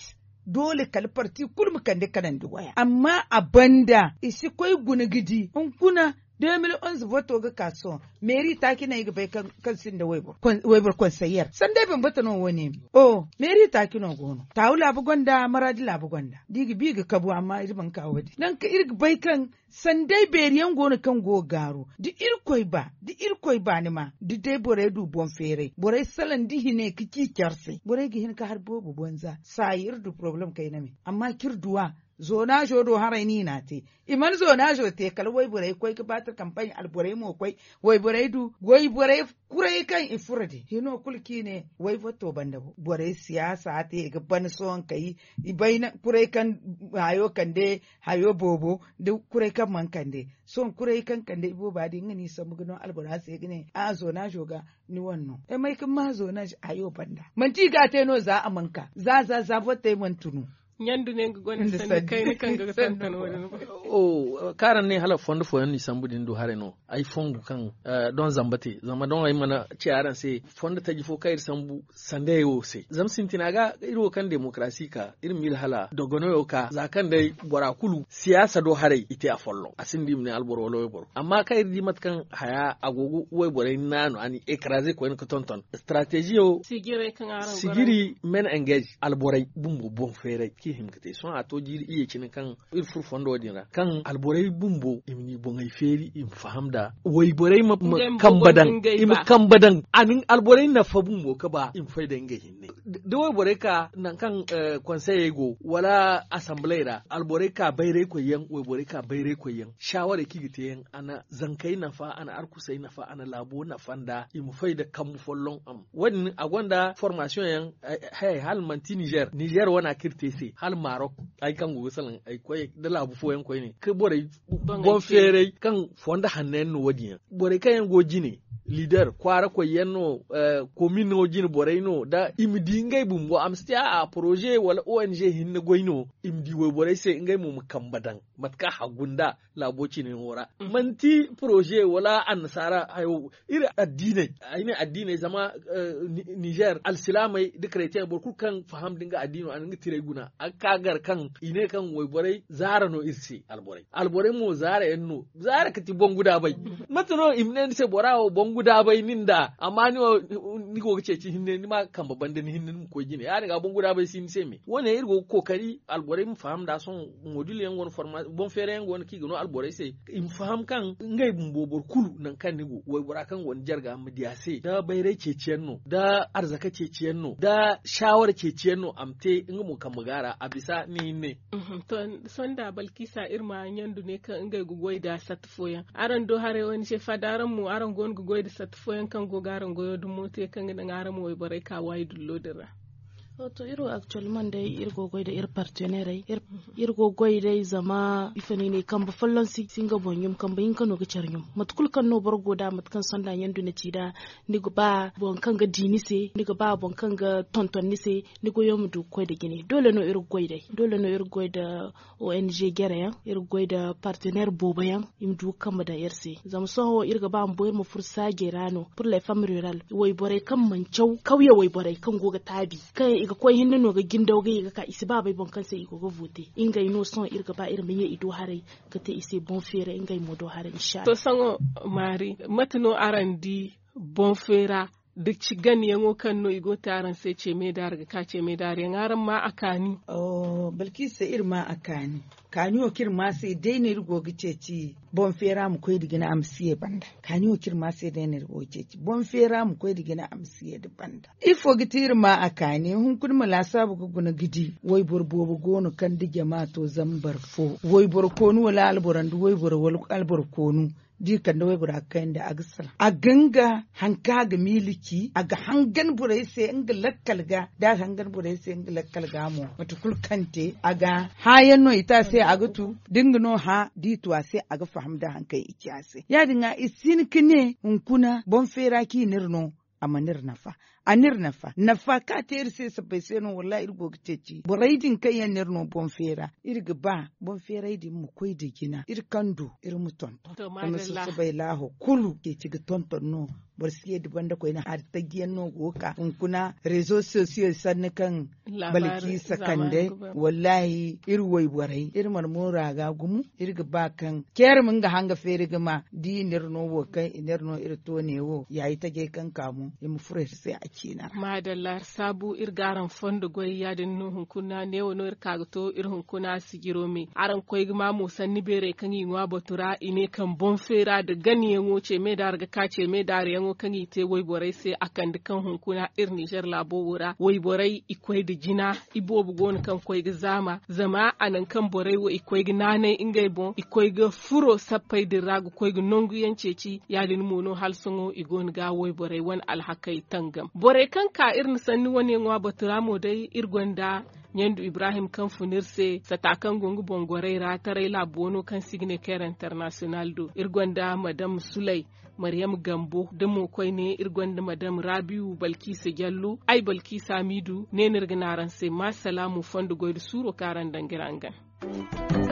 doole kala parti kulu ma kande kanandi waya amma a banda i si koy guna ga di hunkuna de mil onze voto ga ka sohõ. Meeri taaci no ay ga bay kaŋ sinda wayboro konseyer sanda ay bambata no wo- ne. O meeri taaci no go no taawu laabu gonda maraadi laabu gonda da i ga bi i ga kabu amma iri mana ka wo- din nangu kaŋ iri ga bay kaŋ sanda ay beeri yaŋ go no kaŋ go ga gaaru da irkoy ba da irkoy ba ni ma da day borey du boŋ feeray borey salaŋ da hine ga ci care se borey ga hin ga har boobo banza saayi iri du porobalem kayna me amma kaŋ iri duw'a. Zoonaazo do haray no i n'a te i mana zoonaazo te kala wayborey koy ga baati kampay alborey mo koy wayborey du wayborey kuray kaŋ i furo din hino kulu kaŋ i ne wayborey siyaasa te i ga ban sohõ kay i bayna kuray kaŋ hayo kande hayo boobo da kuray kaŋ mana kande sohõ kuray kaŋ kande ibooba din nga no i sambu ga no albora se ga ne a zoonaazo ga ni wane no ay may kaŋ ma zoonaazo hayo banda manti i ga a te no za a mana ka za za za borey mana tunu. Ɲandu ne nga gonda sanni kayna kaŋ ga ga tonton wo- din. Kaŋ araŋ ne hala fondo fooyaŋ no i sambu din du haray no ay fongu kaŋ don zamba te zama don ay mana ci araŋ se fondo taji fo kaŋ iri sambu sandayey wo se zama sintina ga iri wo kaŋ demokarasi ka iri ma iri hala dogonoyo ka za kaŋ day bora kulu siyaasa do haray i te afolloŋ a sinda i ma ne alboro wala wayboro amma kaŋ iri di mate kaŋ haya a go ga wayborey naanu a n'i ekaraze koyne ga tonton strateziyo. Sijiri men engage alborey bumbo boŋ feeray kaŋ i hima ga te sohõ a to jiiri iyye cine kaŋ iri furo fondo din ra kaŋ alborey bumbo i ma ni boŋey feeri i ma faham nda wayborey ma kamba daŋ i ma kamba daŋ a na alborey nafa bumbo ga ba i ma fay da ngey hinne da wayborey ka nangu kaŋ konseyey go wala asambaley ra alborey ka bayraykoy yaŋ wayborey ka bayraykoy yaŋ shaawarey kaŋ i ga te yaŋ a na zankey nafa a na arkusey nafa a na laabo nafa nda i ma fay nda kambu folloŋ a ma wo- din a gonda formasiyoŋ yaŋ. Hayey hala manti nizer nizer wane a kaŋ iri te se hala marok ay kaŋ go ga salaŋ ay koy nda laabu fooyaŋ koyne ga borey boŋ feeray kaŋ fondo hanno yaŋ no wo- din yaŋ borey kaŋ yaŋ go jine lider kwaara koy yaŋ no komin no jine borey no da i ma di ngey bumbo a ma si te a poroze wala ong hinne goy no i ma di wayborey se ngey mo ma kambe daŋ mate kaŋ a haggu nda laabo cine yaŋo ra manti poroze wala annasaara hayo iri addiiney ay ne addiiney zama nizer alsilaamey nda karetiyeŋ boro kulu kaŋ faham nda nga addiino a na nga tirey guna a ga ka gar kaŋ i ne kaŋ wayborey zaara no iri se alborey alborey mo zaara yaŋ no zaara ga ti boŋ guda bay mate no i ma ne ni se bora wo boŋ guda bay nin da amma ni wo ni go ga ceeci hinne ni ma kambe banda ni hinne ni ma koy jine ya- din ga boŋ guda bay si ni se me wo- ne iri go ga kookari alborey ma faham nda sohõ modil yaŋ go no forma boŋ feera yaŋ go no kaŋ i ga no alborey se i ma faham kaŋ ngey bumbo boro kulu nangu kaŋ ni go waybora kaŋ go ni jarga ma di a se da bayray ceeciyaŋ no da arzaka ceeciyaŋ no da saawara ceeciyaŋ no a ma te nga mo kambe ga a ra a bisa ni hinne. Sohõ da balkisa iri ma ɲandu ne kaŋ ngey ga goy nda satta fooyaŋ araŋ do haray wane se faada araŋ mo araŋ go no ga goy nda satta fooyaŋ kaŋ go ga araŋ goyo dumo te kaŋ ga naŋ araŋ ma wayborey ka waayi dullo din ra. To iri wo aktuwelman day iri go ga goy nda iri partenerey iri go ga goy day zama ifo no i ne kambe folloŋ si nga boŋ ɲum kambe hinka no ga care ɲum mate kulu kaŋ no boro go nd'a mate kaŋ sohõ da ɲandu na ci nd'a ni ga ba boro kaŋ ga di ni se ni ga ba boro kaŋ ga tonton ni se ni goyo ma du ga koy nda jine doole no iri ga goy day doole no iri ga goy nda ong jere yaŋ iri ga goy nda partener boobo yaŋ i ma du ga kambe daŋ iri se zama sohõ iri ga ba bumbo iri ma furo saajey ra no pur les femmes rural wayborey kaŋ mana caw kawye wayborey kaŋ go ga taabi kaŋ i ga koy hinne no ga jindaw ga i ga ka i si ba bay boŋ kaŋ se i go ga vote ngey no sohõ iri ga ba iri ma ye i do haray ga te i se boŋ feera ngey mo do haray insa allah. To sohõ maari mate no araŋ di boŋ feera da ci ganayaŋo kaŋ no i go ga te araŋ se ceeme daari ga ka ceeme daari yaŋ araŋ ma a kaani? Balkisa iri ma a kaani kaani wo kaŋ iri ma se day no iri go ga ceeci boŋ feera ma koy nda jina a ma si ye banda kaani wo kaŋ iri ma se day no iri go ga ceeci boŋ feera ma koy nda jina a ma si ye nda banda. Ifo ga ti iri ma a kaani hunkuna ma laasaabu ga guna ga di wayboro boobo go no kaŋ nda jama to zambar fo wayboro koonu wala alboro nda wayboro wala alboro koonu da i kande waybora ga kayandi a ga salaŋ a ga nga haŋ kaŋ a ga miila ci a ga hangan borey se nga lakkal ga da a ga hangan borey se nga lakkal ga mo mate kulu kaŋ te a ga hã yaŋ no i te a se a ga tu da nga no hã da i tu a se a ga faham da haŋ kaŋ i ci a se ya- din ga i si hin ga ne hunkuna boŋ feera kaŋ i n'iri no a mana iri nafa. a n'iri nafa nafa kaŋ a te iri se sabbay se no wallahi iri go ga ceeci borey din kaŋ yaŋ no iri no boŋ feera iri ga ba boŋ feeray din ma koy nda jina iri kaŋ du iri ma tonton zama susubay laaho kulu ceeci ga tonton no. Boro si ye nda banda koyne hari taji yaŋ no go ga ka hunkuna rezo sosiyo sanni kaŋ balki sakande wallahi iri wayborey iri mana moora ga gumo iri ga ba kaŋ ceeri ma nga hanga feeri ga ma da i n'iri no wo kaŋ i n'iri no iri to ne wo yaayi tajay kaŋ ka mo i ma furo iri se a ciina ra. Maadalla iri saabu iri ga araŋ fondo goy ya- din no hunkuna neewo no iri ka ga to iri hunkuna sijiro me araŋ koy ga ma mo sanni beerey kaŋ i ŋwa batu ra i ne kaŋ boŋ feera nda ganayaŋo ce me daari ga ka ce me daariyaŋo kaŋ i te wayborey se a kande kaŋ hunkuna iri ninzeer laabo wo ra wayborey i koy nda jina. Iboobo go no kaŋ koy ga zaama zama a naŋ kaŋ borey wo i koy ga naanay ngey boŋ i koy ga furo sappey din ra ga koy ga nangu yaŋ ceeci ya- din mo no hala sohõ i go no ga wayborey wane alhakey tangam borey kaŋ ka iri na sanni wane ŋwa batu ra mo day iri gonda ɲandu ibrahim kaŋ fun iri se sata kaŋ go nga boŋ gorey ra taray laabu wano kaŋ se i ga ne keer internasiyonal do iri gonda madam sulay maryam gambo da mo koyne iri gonda madam rabiu balkisa jallo ay balkisa hamidu ne no iri ga ne araŋ se ma salaamu fondo goy nda suuro kaŋ araŋ daŋ ga iri hangan.